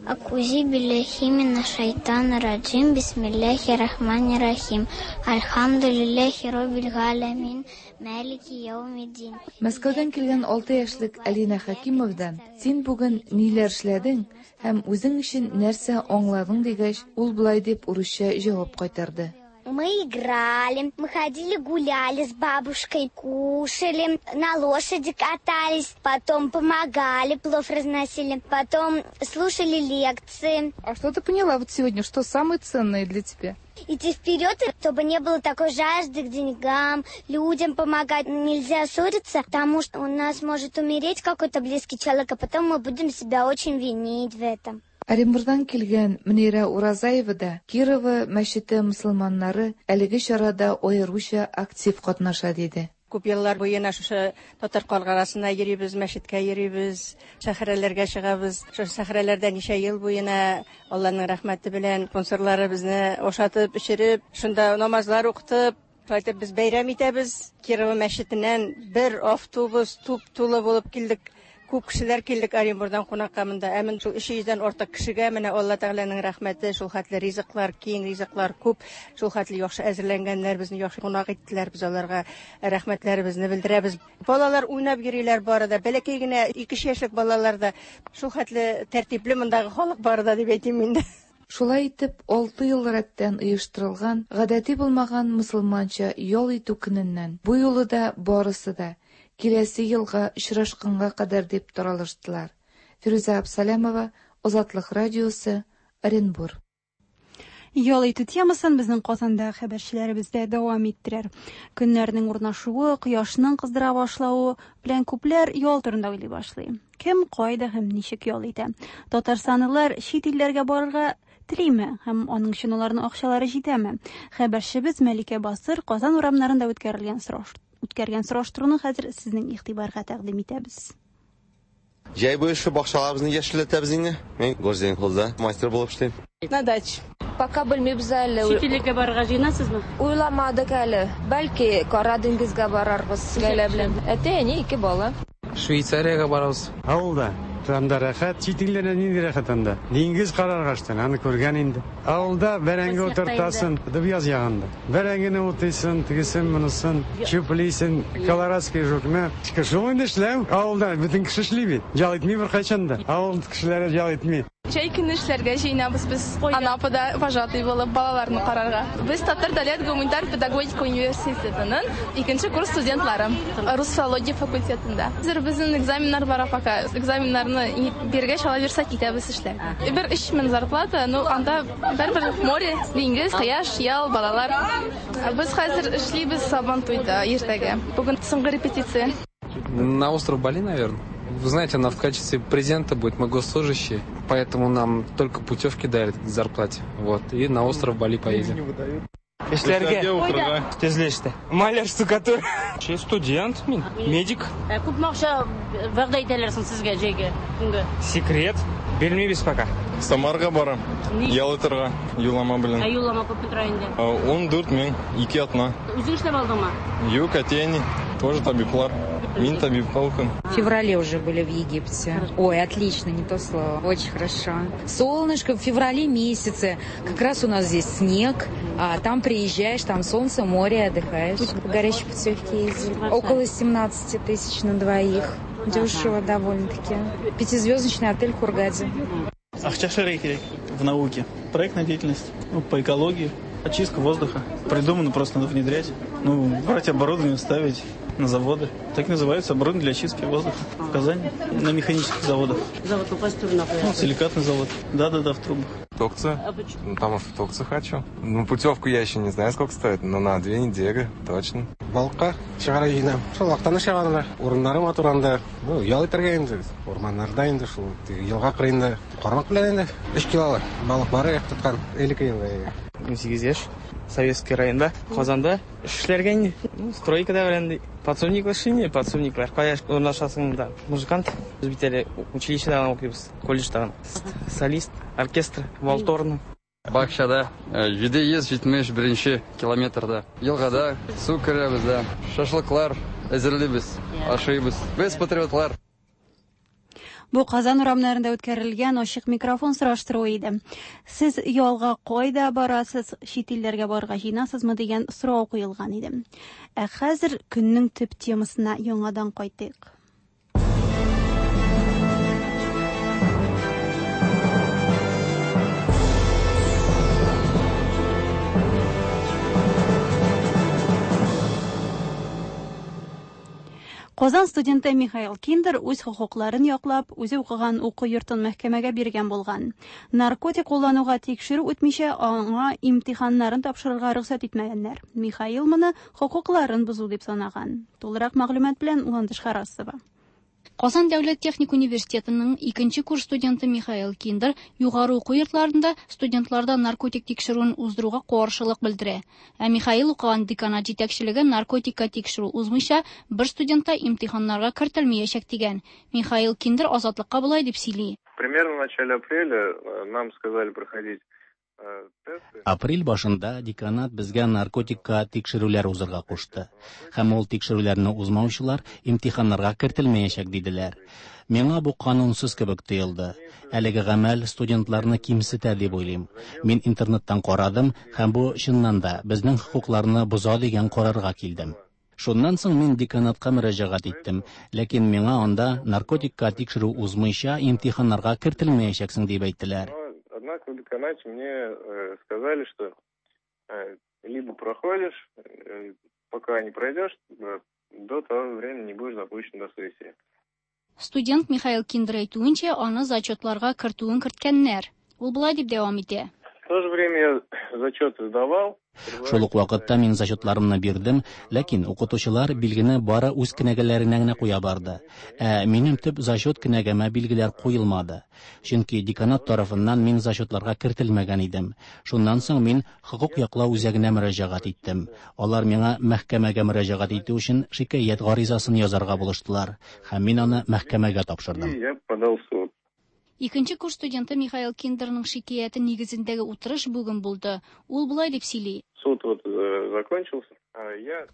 Акузи билляхи мина шайтана раджим, бисмилляхи рахмани рахим, альхамдулиллахи роббил галямин, малики яумиддин. Мәскәүдән килгән алты яшьлек Алина Хакимовдан син бүген ниләр эшләдең һәм үзең өчен нәрсә аңладың дигәч, ул болай дип урысча җавап кайтарды. Мы играли, мы ходили гуляли с бабушкой, кушали, на лошади катались, потом помогали, плов разносили, потом слушали лекции. А что ты поняла вот сегодня, что самое ценное для тебя? Идти вперед, чтобы не было такой жажды к деньгам, людям помогать. Нельзя ссориться, потому что у нас может умереть какой-то близкий человек, а потом мы будем себя очень винить в этом. Оренбургтан килгән Мөнирә Уразаева да Кирова мәчете мусульманнары әлеге чарада аеруча актив катнаша диде. Күп еллар буена шушы татар каргарасына йөрибез, мәчеткә йөрибез, сәхрәләргә чыгабыз. Шушы сәхрәләрдә ничә ел буена Аллаһның рәхмәте белән спонсорлары безне ашатып, эчереп, шунда намазлар укытып, шулай итеп без бәйрәм итәбез. Кирова мәчетеннән бер автобус туп-тулы булып килдек. Күп кешеләр килдек Оренбургтан кунакка монда. Ә мен шул өч йөздән артык кешегә менә Алла Тәгаләнең рәхмәте, шул хәтле ризыклар, киң ризыклар күп, шул хәтле яхшы әзерләнгәннәр, безне яхшы кунак иттеләр, без аларга рәхмәтләребезне белдерәбез. Балалар уйнап йөриләр бары да, бәләкәй генә ике яшьлек балалар да, шул хәтле тәртипле мондагы халык бары да дип әйтим инде. Шулай итеп, алты ел рәттән оештырылган, гадәти булмаган мусульманча ял итү көненнән бу юлы да барысы да киләсе елга очрашканга кадәр дип таралыштылар. Фирүзә Абсалямова, Азатлык радиосы, Оренбур. Ял итү темасын безнең Казанда хәбәрчеләребез дә дәвам иттерер. Көннәрнең урнашуы, кояшның кыздыра башлавы белән күпләр ял турында уйлый башлый. Кем, кайда һәм ничек ял итә? Татарстанлылар чит илләргә барырга телиме һәм аның өчен аларның акчалары җитәме? Хәбәрчебез Мәликә Басыр Казан урамнарында үткәрелгән сораш үткәргән сораштыруны хәзер сезнең игътибарга тәкъдим итәбез. Җәй буе шу бакчаларыбызны яшелләтәбез инде. Мин Горзенхозда мастер булып эшлим. На даче. Пока белмибез әле. Чит илгә барырга җыенасызмы? Уйламадык әле. Бәлки Кара диңгезгә барарбыз гаилә белән. Әти-әни, ике бала. Швейцариягә барабыз. Авылда. Анда рәхәт, чит илләрдә нинди рәхәт анда? Диңгез карарга эштән, аны күргән инде. Авылда бәрәңге утыртасың, Дубьяз ягында. Бәрәңгене утыйсың, тегесен, монысын, чүплисең, колорадский жукны. Шул инде эшләү. Авылда бөтен кеше эшли бит. Ял итми беркайчан да. Авыл кешеләре ял итми. Җәй көне эшләргә җыенабыз без. Анапада вожатый булып балаларны карарга. Без Татар дәүләт гуманитар педагогика университетының икенче курс студентлары. Рус филология факультетында. Хәзер безнең экзаменнар бара пока. Экзаменнарны биргәч ала бирсә китәбез эшләргә. Бер өч мең зарплата, ну анда бер-бер море, диңгез, кояш, ял, балалар. Без хәзер эшлибез Сабантуйда иртәгә. Бүген соңгы репетиция. На остров Бали, наверное. Вы знаете, она в качестве презента будет, мы госслужащие, поэтому нам только путевки дарят к зарплате. Вот, и на остров Бали поедем. Эшләргә. Төзелештә. Маляр, штукатур. Студент, мин, медик. Күпме акча вәгъдә итәләр соң сезгә җәйгә көнгә? Секрет. Белмибез пока. Самарга барам. Ял итәргә, юллама белән. Ә юллама күпме тора инде? Ун дүрт мең, ике атна. Үзең эшләп алдыңмы? Юк, әти-әни, тоже табиблар. Мин табибка укыйм. В феврале уже были в Египте. Ой, отлично, не то слово. Очень хорошо. Солнышко в феврале месяце. Как раз у нас здесь снег, а там приезжаешь, там солнце, море, отдыхаешь. По горячей путевке ездили. Около семнадцати тысяч на двоих. Дешево довольно-таки. Пятизвездочный отель в Хургаде. Акча эшләргә кирәк в науке. Проектная деятельность, ну, по экологии, очистка воздуха. Придумано, просто надо внедрять. Ну, брать оборудование, ставить. на заводы. Так называется оборудование для очистки воздуха в Казани, на механических заводах. Завод, ну, силикатный завод. Да-да-да, в трубах. Турцию. Ну, потому что в Турцию хочу. Ну, путевку я еще не знаю, сколько стоит, но на две недели точно. Балыкка чыгарга җыенам. Шул Актаныш ягында, урыннары матур анда. Ну, ял итәргә инде, урманнарда инде шул елга кырыенда кармак белән инде өч килолы балык бар тоткан элекке елда. унсигез яшь, Советский районда, Казанда эшләргә инде. Ну, стройкада белән подсобник эшли, подсобниклар. Кая урнашасың да, музыкант. Без бит әле училищеда укыйбыз, колледжда. Солист, оркестр, валторна. Бакчада җиде йөз җитмеш беренче километрда. Елгада су керәбез дә, шашлыклар әзерлибез, ашыйбыз. Без патриотлар. Бу Казан урамнарында үткәрелгән ачык микрофон сораштыруы иде. Сез ялга кайда барасыз, чит илләргә барырга җыенасызмы дигән сорау куелган иде. Ә хәзер көннең төп темасына яңадан кайтыйк. Казан студенты Михаил Киндер үз хокукларын яклап, үзе укыган уку йортын мәхкәмәгә биргән булган. Наркотик куллануга тикшерү үтмичә, аңа имтиханнарын тапшырырга рөхсәт итмәгәннәр. Михаил моны хокукларын бозу дип санаган. Тулырак мәгълүмат белән Ландыш Харасова. Казан дәүләт техник университетының икенче курс студенты Михаил Киндер югары уку йортларында студентларда наркотик тикшерүен уздыруга каршылык белдерә. Ә Михаил укыган деканат җитәкчелеге наркотикка тикшерү узмыйча бер студентта имтиханнарга кертелмәячәк дигән. Михаил Киндер Азатлыкка болай дип сөйли. Примерно в начале апреля нам сказали проходить. Апрель башында деканат безгә наркотикка тикшерүләр узырга кушты. Һәм ул тикшерүләрне узмаучылар имтиханнарга кертелмәячәк диделәр. Миңа бу канунсыз кебек тоелды. Әлеге гамәл студентларны кимсетә дип уйлыйм. Мин интернеттан карадым һәм бу чыннан да безнең хокукларны боза дигән карарга килдем. Шуннан соң мин деканатка мөрәҗәгать иттем, ләкин миңа анда наркотикка тикшерү узмыйча имтиханнарга кертелмәячәксең дип әйттеләр. Однако в деканате мне э, сказали, что э, либо проходишь, э, пока не пройдешь, э, до того времени не будешь допущен до сессии. Студент Михаил Киндер әйтүенчә, аны зачетларга кертүен керткәннәр. Ул болай дип дәвам итә. В то же время я зачеты сдавал. Шул ук вакытта мин зачетларымны бирдем, ләкин укытучылар билгене бары үз кенәгәләренә генә куя барды. Ә минем төп зачет кенәгәмә билгеләр куелмады. Чөнки деканат тарафыннан мин зачетларга кертелмәгән идем. Шуннан соң мин хокук яклау үзәгенә мөрәҗәгать иттем. Алар миңа мәхкәмәгә мөрәҗәгать итү өчен шикаять гаризасын язарга булыштылар, һәм мин аны мәхкәмәгә тапшырдым. Я подал в суд. Икенче курс студенты Михаил Киндерның шикаяте нигезендәге утырыш бүген булды. Ул болай дип сөйли. Суд вот закончился.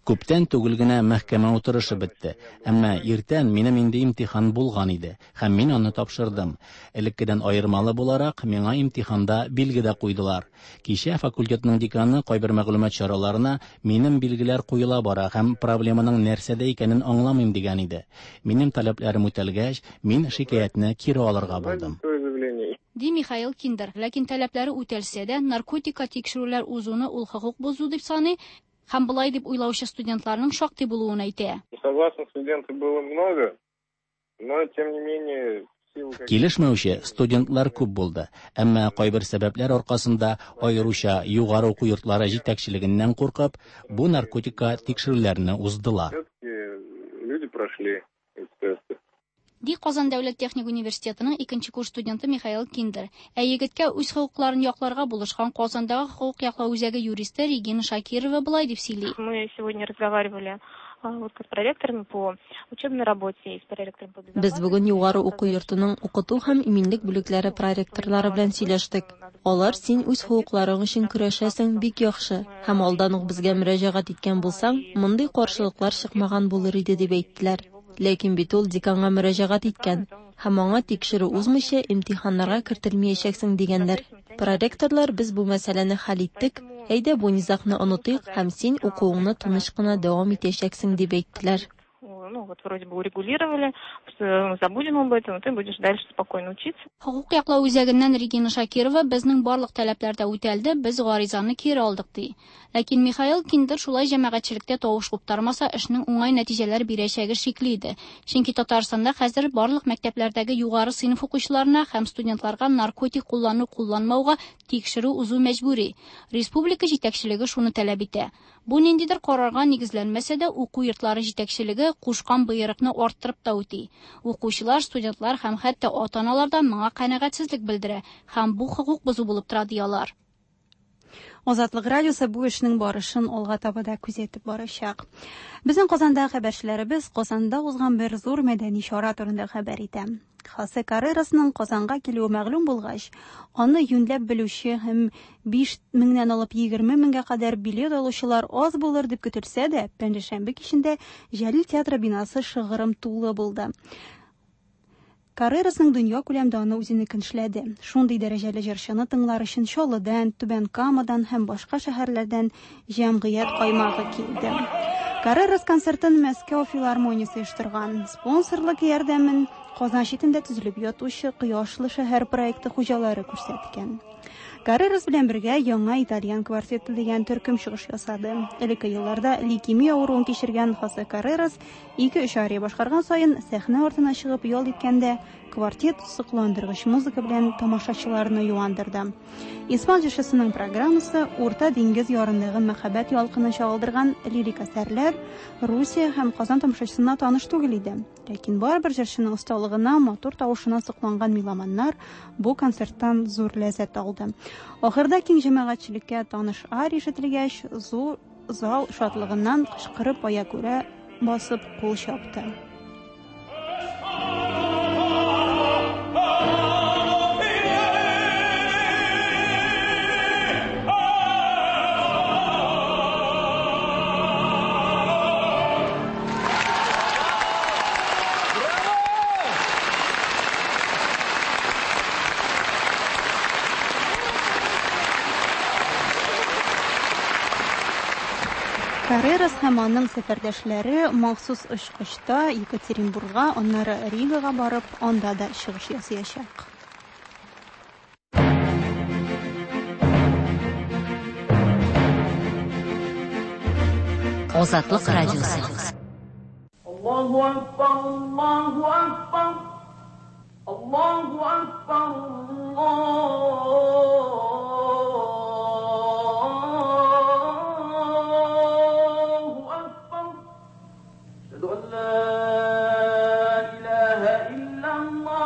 Күптән түгел генә мәхкәмә утырышы бетте. Әмма иртән минем инде имтихан булган иде, һәм мин аны тапшырдым. Элеккедән аермалы буларак, миңа имтиханда билге дә куйдылар. Кичә факультетның деканы кайбер мәгълүмат чараларына минем билгеләр куела бара һәм проблеманың нәрсәдә икәнен аңламыйм дигән иде. Минем таләпләрем үтәлгәч, мин шикаятьне кире алырга булдым. Ди Михаил Киндер. Ләкин таләпләре үтәлсә дә, наркотикка тикшерүләр узуны ул хокук бозу дип саный һәм болай дип уйлаучы студентларның шактый булуын әйтә. Согласных студентов было много, но тем не менее Килешмәүче студентлар күп булды, әмма кайбер сәбәпләр аркасында аеруча югары уку йортлары җитәкчелегеннән куркып, бу наркотикка тикшерүләрне уздылар. Люди прошли эти тесты. Ди Казан дәүләт техник университетының икенче курс студенты Михаил Киндер. Ә егеткә үз хокукларын якларга булышкан Казандагы хокук яклау үзәге юристы Регина Шакирова болай дип сөйли. Мы сегодня разговаривали вот с проректорами по учебной работе и с проректором по Без бүген югары уку йортының укыту һәм иминлек бүлекләре проректорлары белән сөйләштек. Алар син үз хокукларың өчен көрәшәсең, бик яхшы. Һәм алдан ук безгә мөрәҗәгать иткән булсаң, мондый каршылыклар чыкмаган булыр иде дип әйттеләр. Ләкин бит ул деканга мөрәҗәгать иткән һәм аңа тикшерү узмыйча имтиханнарга кертелмәячәксең дигәннәр. Проректорлар без бу мәсьәләне хәл иттек, әйдә бу низагны онытыйк һәм син укуыңны тыныч кына дәвам итәчәксең дип әйттеләр. ну, вот вроде бы урегулировали, забудем об этом, ты будешь дальше спокойно учиться. Хокук яклау үзәгеннән Регина Шакирова безнең барлык таләпләр дә үтәлде, без гаризаны кире алдык ди. Ләкин Михаил Киндер шулай җәмәгатьчелектә тавыш куптармаса, эшнең уңай нәтиҗәләр бирәчәге шикле иде. Чөнки Татарстанда хәзер барлык мәктәпләрдәге югары сыйныф укучыларына һәм студентларга наркотик куллану-кулланмауга тикшерү узу мәҗбүри. Республика җитәкчелеге шуны таләп итә. Бу ниндидер карарга нигезләнмәсә дә, уку йортлары җитәкчелеге кушкан боерыкны арттырып та үти. Укучылар, студентлар һәм хәтта ата-аналар да моңа канәгатьсезлек белдерә һәм бу хокук бозу булып тора ди алар. Азатлык радиосы бу эшнең барышын алга таба да күзәтеп барачак. Безнең Казанда хәбәрчеләребез Казанда узган бер зур мәдәни чара турында хәбәр итә. Хосе Каррерасның Казанга килүе мәгълүм булгач, аны юньләп белүче һәм биш меңнән алып егерме меңгә кадәр билет алучылар аз булыр дип көтелсә дә, пәнҗешәмбе кичендә Җәлил театры бинасы шыгрым тулы булды. Каррерасның дөнья күләмдә аны үзенекен эшләде. Шундый дәрәҗәле җырчыны тыңлар өчен Чаллыдан, Түбән Камадан һәм башка шәһәрләрдән җәмгыять каймагы килде. Каррерас концертын Мәскәү филармониясе оештырган. Спонсорлык ярдәмен Казан читендә төзелеп ятучы Кояшлы шәһәр проекты хуҗалары күрсәткән. Каррерас белән бергә яңа итальян квартеты дигән төркем чыгыш ясады. Элекке елларда лейкемия авыруын кичергән Хосе Каррерас ике-өч ария башкарган саен сәхнә артына чыгып ял иткәндә квартет сокландыргыч музыка белән тамашачыларны юандырды. Испан җырчысының программасы Урта диңгез ярындагы мәхәббәт ялкынын чагылдырган лирик әсәрләр Русия һәм Казан тамашачысына таныш түгел иде. Ләкин барыбер җырчының осталыгына, матур тавышына сокланган меломаннар бу концерттан зур ләззәт алды. Ахырда киң җәмәгатьчелеккә таныш ария ишетелгәч, зур зал шатлыгыннан кычкырып аягүрә басып кул чапты. Каррерас һәм аның сәфәрдәшләре махсус очкычта Екатеринбургка, аннары Ригага барып, анда да чыгыш ясаячак. Азатлык радиосы. Аллаһу акбар, Аллаһу акбар, Аллаһу акбар, Аллаһу акбар. Әшһәду ан ла илаһа иллаллаһ.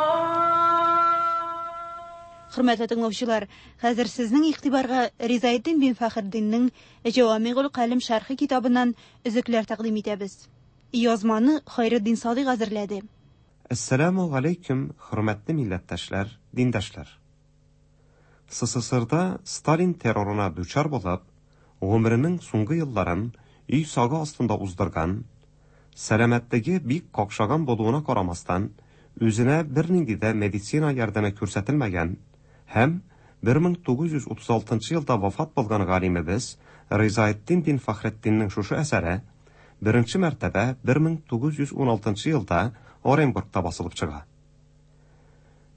Хөрмәтле тыңлаучылар, хәзер сезнең игътибарга Ризаэддин бин Фәхретдиннең Җавамигул Калим шәрхе китабыннан өзекләр тәкъдим итәбез. Язманы Хайретдин Садыйк әзерләде. Әссәламу алейкум, хөрмәтле милләттәшләр, диндәшләр. СССРда Сталин террорына дучар булып, гомеренең соңгы елларын өй сагы астында уздырган, сәламәтлеге бик какшаган булуына карамастан, үзенә бернинди дә медицина ярдәме күрсәтелмәгән һәм бер мең тугыз йөз утыз алтынчы елда вафат булган галимебез Ризаэддин бин Фәхретдиннең шушы әсәре беренче мәртәбә бер мең тугыз йөз ун алтынчы елда Оренбургта басылып чыга.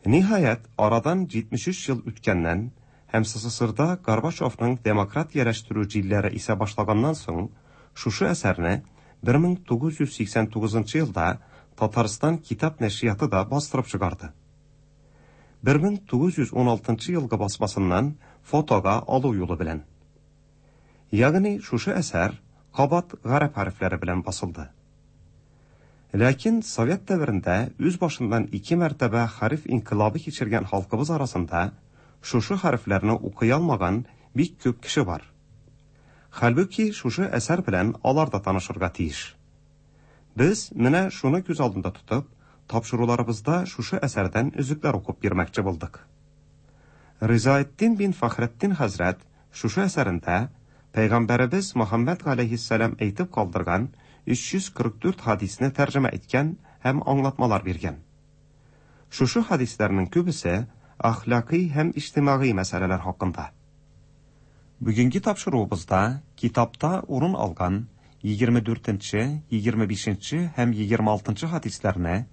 Ниһаять, арадан җитмеш өч ел үткәннән һәм СССРда Горбачевның демократияләштерү җилләре исә башлаганнан соң, шушы әсәрне бер мең тугыз йөз сиксән тугызынчы елда Татарстан китап нәшрияты да бастырып чыгарды. бер мең тугыз йөз ун алтынчы елгы басмасыннан фотога алу юлы белән. Ягъни шушы әсәр кабат гарәп хәрефләре белән басылды. Ләкин Совет дәверендә үз башыннан ике мәртәбә хәреф инкыйлабы кичергән халкыбыз арасында шушы хәрефләрне укый алмаган бик күп кеше бар. Хәлбүки шушы әсәр белән алар да танышырга тиеш. Без менә шуны күз алдында тотып, тапшыруларыбызда шушы әсәрдән өзекләр укып бирмәкче булдык. Ризаэддин бин Фәхретдин хәзрәт шушы әсәрендә Пәйгамбәребез Мөхәммәд галәйһиссәлам әйтеп калдырган өч йөз кырык дүрт хадисне тәрҗемә иткән һәм аңлатмалар биргән. Шушы хадисләрнең күбесе әхлакый һәм иҗтимагый мәсьәләләр хакында. Бүгенге тапшыруыбызда китапта урын алган егерме дүртенче, егерме бишенче һәм егерме алтынчы хадисләрне,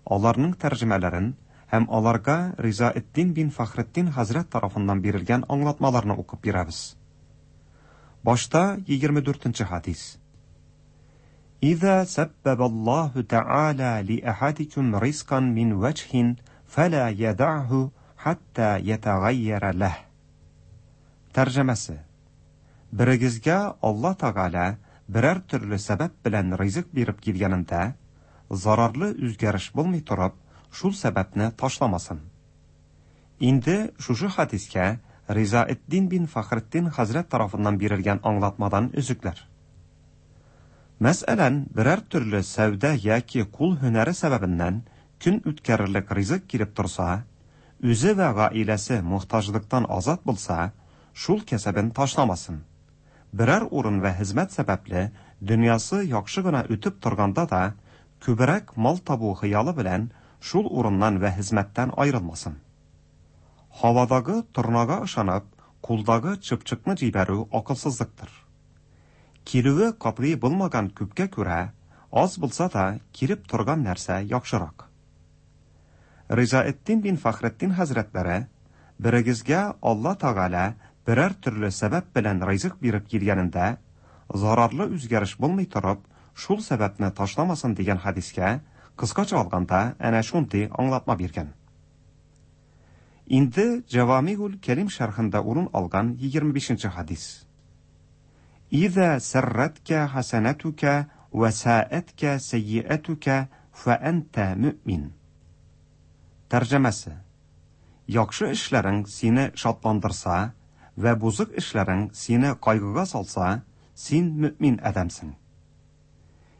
аларның тәрҗемәләрен һәм аларга Ризаэддин бин Фәхретдин хәзрәт тарафыннан бирелгән аңлатмаларны укып бирәбез. Башта егерме дүртенче хадис. إذا سبب الله تعالى لأحدكم رزقا من وجه فلا يدعه حتى يتغير له. Тәрҗемәсе: Берегезгә Алла Тәгалә берәр төрле сәбәп белән ризык биреп килгәнендә, зарарлы үзгәреш булмый торып, шул сәбәпне ташламасын. Инде шушы хадискә Ризаэддин бин Фәхретдин хәзрәт тарафыннан бирелгән аңлатмадан өзекләр. Мәсәлән, берәр төрле сәүдә яки кул һөнәре сәбәбеннән көн үткәрерлек ризык килеп торса, үзе вә гаиләсе мохтаҗлыктан азат булса, шул кәсәбен ташламасын. Берәр урын вә хезмәт сәбәпле дөньясы яхшы гына үтеп торганда да, күбрәк мал табу хыялы белән шул урыннан вә хезмәттән аерылмасын. Һавадагы торнага ышанып, кулдагы чыпчыкны җибәрү акылсызлыктыр. Килүе катгый булмаган күпкә күрә, аз булса да килеп торган нәрсә яхшырак. Ризаэддин бин Фәхретдин хәзрәтләре, берегезгә Алла Тәгалә берәр төрле сәбәп белән ризык биреп килгәнендә, зарарлы үзгәреш булмый торып, шул сәбәпне ташламасын дигән хадискә кыскача алганда әнә шундый аңлатма биргән. Инде Җавамигул Кәлим шәрхендә урын алган егерме бишенче хадис. إذا سرتك حسنتك وساءتك سيئتك فأنت مؤمن. Тәрҗемәсе: Яхшы эшләрең сине шатландырса вә бозык эшләрең сине кайгыга салса, син мөмин адәмсең.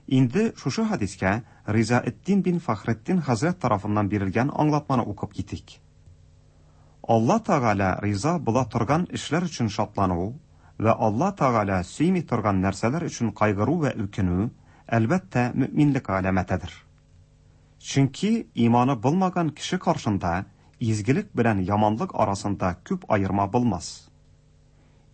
Инде шушы хадискә Ризаэддин бин Фәхретдин хәзрәт тарафыннан бирелгән аңлатманы укып китик. Алла Тәгалә риза була торган эшләр өчен шатлану вә Алла Тәгалә сөйми торган нәрсәләр өчен кайгыру вә үкенү, әлбәттә, мөминлек галәмәтедер. Чөнки иманы булмаган кеше каршында изгелек белән яманлык арасында күп аерма булмас.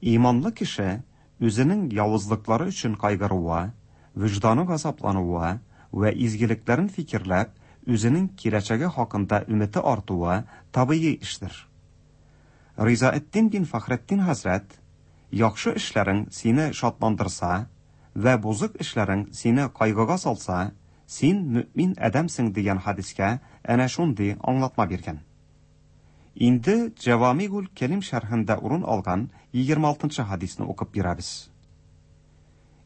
Иманлы кеше үзенең явызлыклары өчен кайгыруы, вөҗданы газаплануы вә изгелекләрен фикерләп, үзенең киләчәге хакында өмете артуы табигый эштер. Ризаэддин бин Фәхретдин хәзрәт, яхшы эшләрең сине шатландырса вә бозык эшләрең сине кайгыга салса, син мөмин адәмсең дигән хадискә әнә шундый аңлатма биргән. Инде Җавамигул Кәлим шәрхендә урын алган егерме алтынчы хадисне укып бирәбез.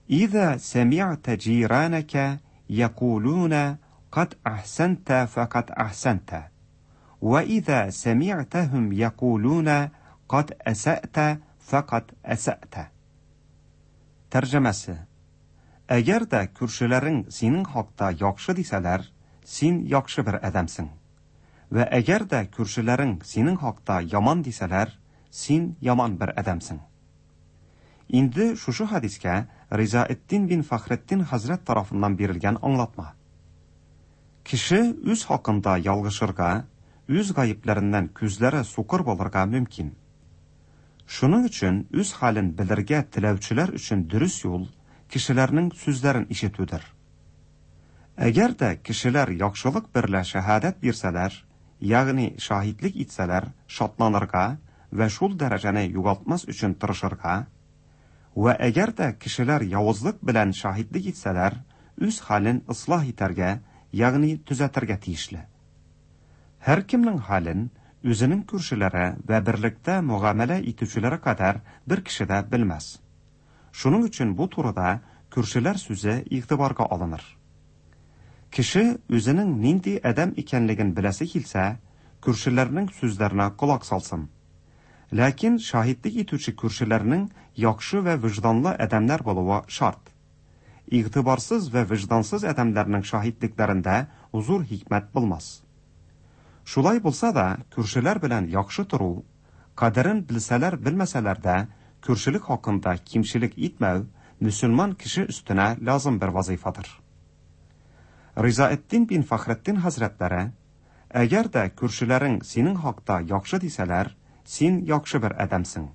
إذا سمعت جيرانك يقولون قد أحسنت فقد أحسنت وإذا سمعتهم يقولون قد أسأت فقد أسأت. Тәрҗемәсе: Әгәр дә күршеләрең синең хакта яхшы дисәләр, син яхшы бер адәмсең. Вә әгәр дә күршеләрең синең хакта яман дисәләр, син яман бер адәмсең. Инде шушы хадискә Ризаэддин бин Фәхретдин хәзрәт тарафыннан бирелгән аңлатма. Кеше үз хакында ялгышырга, үз гаепләреннән күзләре сукыр булырга мөмкин. Шуның өчен үз хәлен белергә теләүчеләр өчен дөрес юл кешеләрнең сүзләрен ишетүдер. Әгәр дә кешеләр яхшылык берлә шәһадәт бирсәләр, ягъни шаһитлек итсәләр, шатланырга вә шул дәрәҗәне югалтмас өчен тырышырга, вә әгәр дә кешеләр явызлык белән шаһитлек итсәләр, үз хәлен ислах итәргә, ягъни төзәтергә тиешле. Һәркемнең хәлен үзенең күршеләре вә берлектә мөгамәлә итүчеләре кадәр бер кеше дә белмәс. Шуның өчен бу турыда күршеләр сүзе игътибарга алыныр. Кеше үзенең нинди адәм икәнлеген беләсе килсә, күршеләрнең сүзләренә колак салсын. Ләкин шаһитлек итүче күршеләрнең яхшы вә вөҗданлы адәмнәр булуы шарт. Игътибарсыз вә вөҗдансыз адәмнәрнең шаһитлекләрендә зур хикмәт булмас. Шулай булса да, күршеләр белән яхшы тору, кадерен белсәләр белмәсәләр дә, күршелек хакында кимчелек итмәү мөселман кеше өстенә лазым бер вазифадыр. Ризаэддин бин Фәхретдин хәзрәтләре, әгәр дә күршеләрең синең хакта яхшы дисәләр, син яхшы бер адәмсең.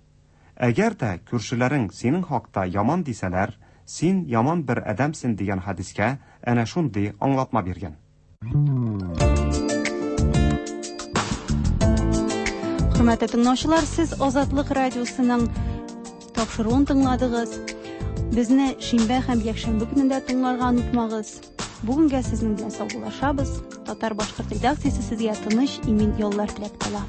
Әгәр дә күршеләрең синең хакта яман дисәләр, "Син яман бер адәмсең" дигән хәдискә әнә шундый аңлатма биргән. Хөрмәтле тыңлаучылар, сез Азатлык радиосының тапшыруын тыңладыгыз. Безне шимбә һәм якшәмбе көнендә тыңларга онытмагыз. Бүгенгә сезнең белән саубуллашабыз. Татар-башкорт редакциясе сезгә тыныч, имин яллар теләп кала.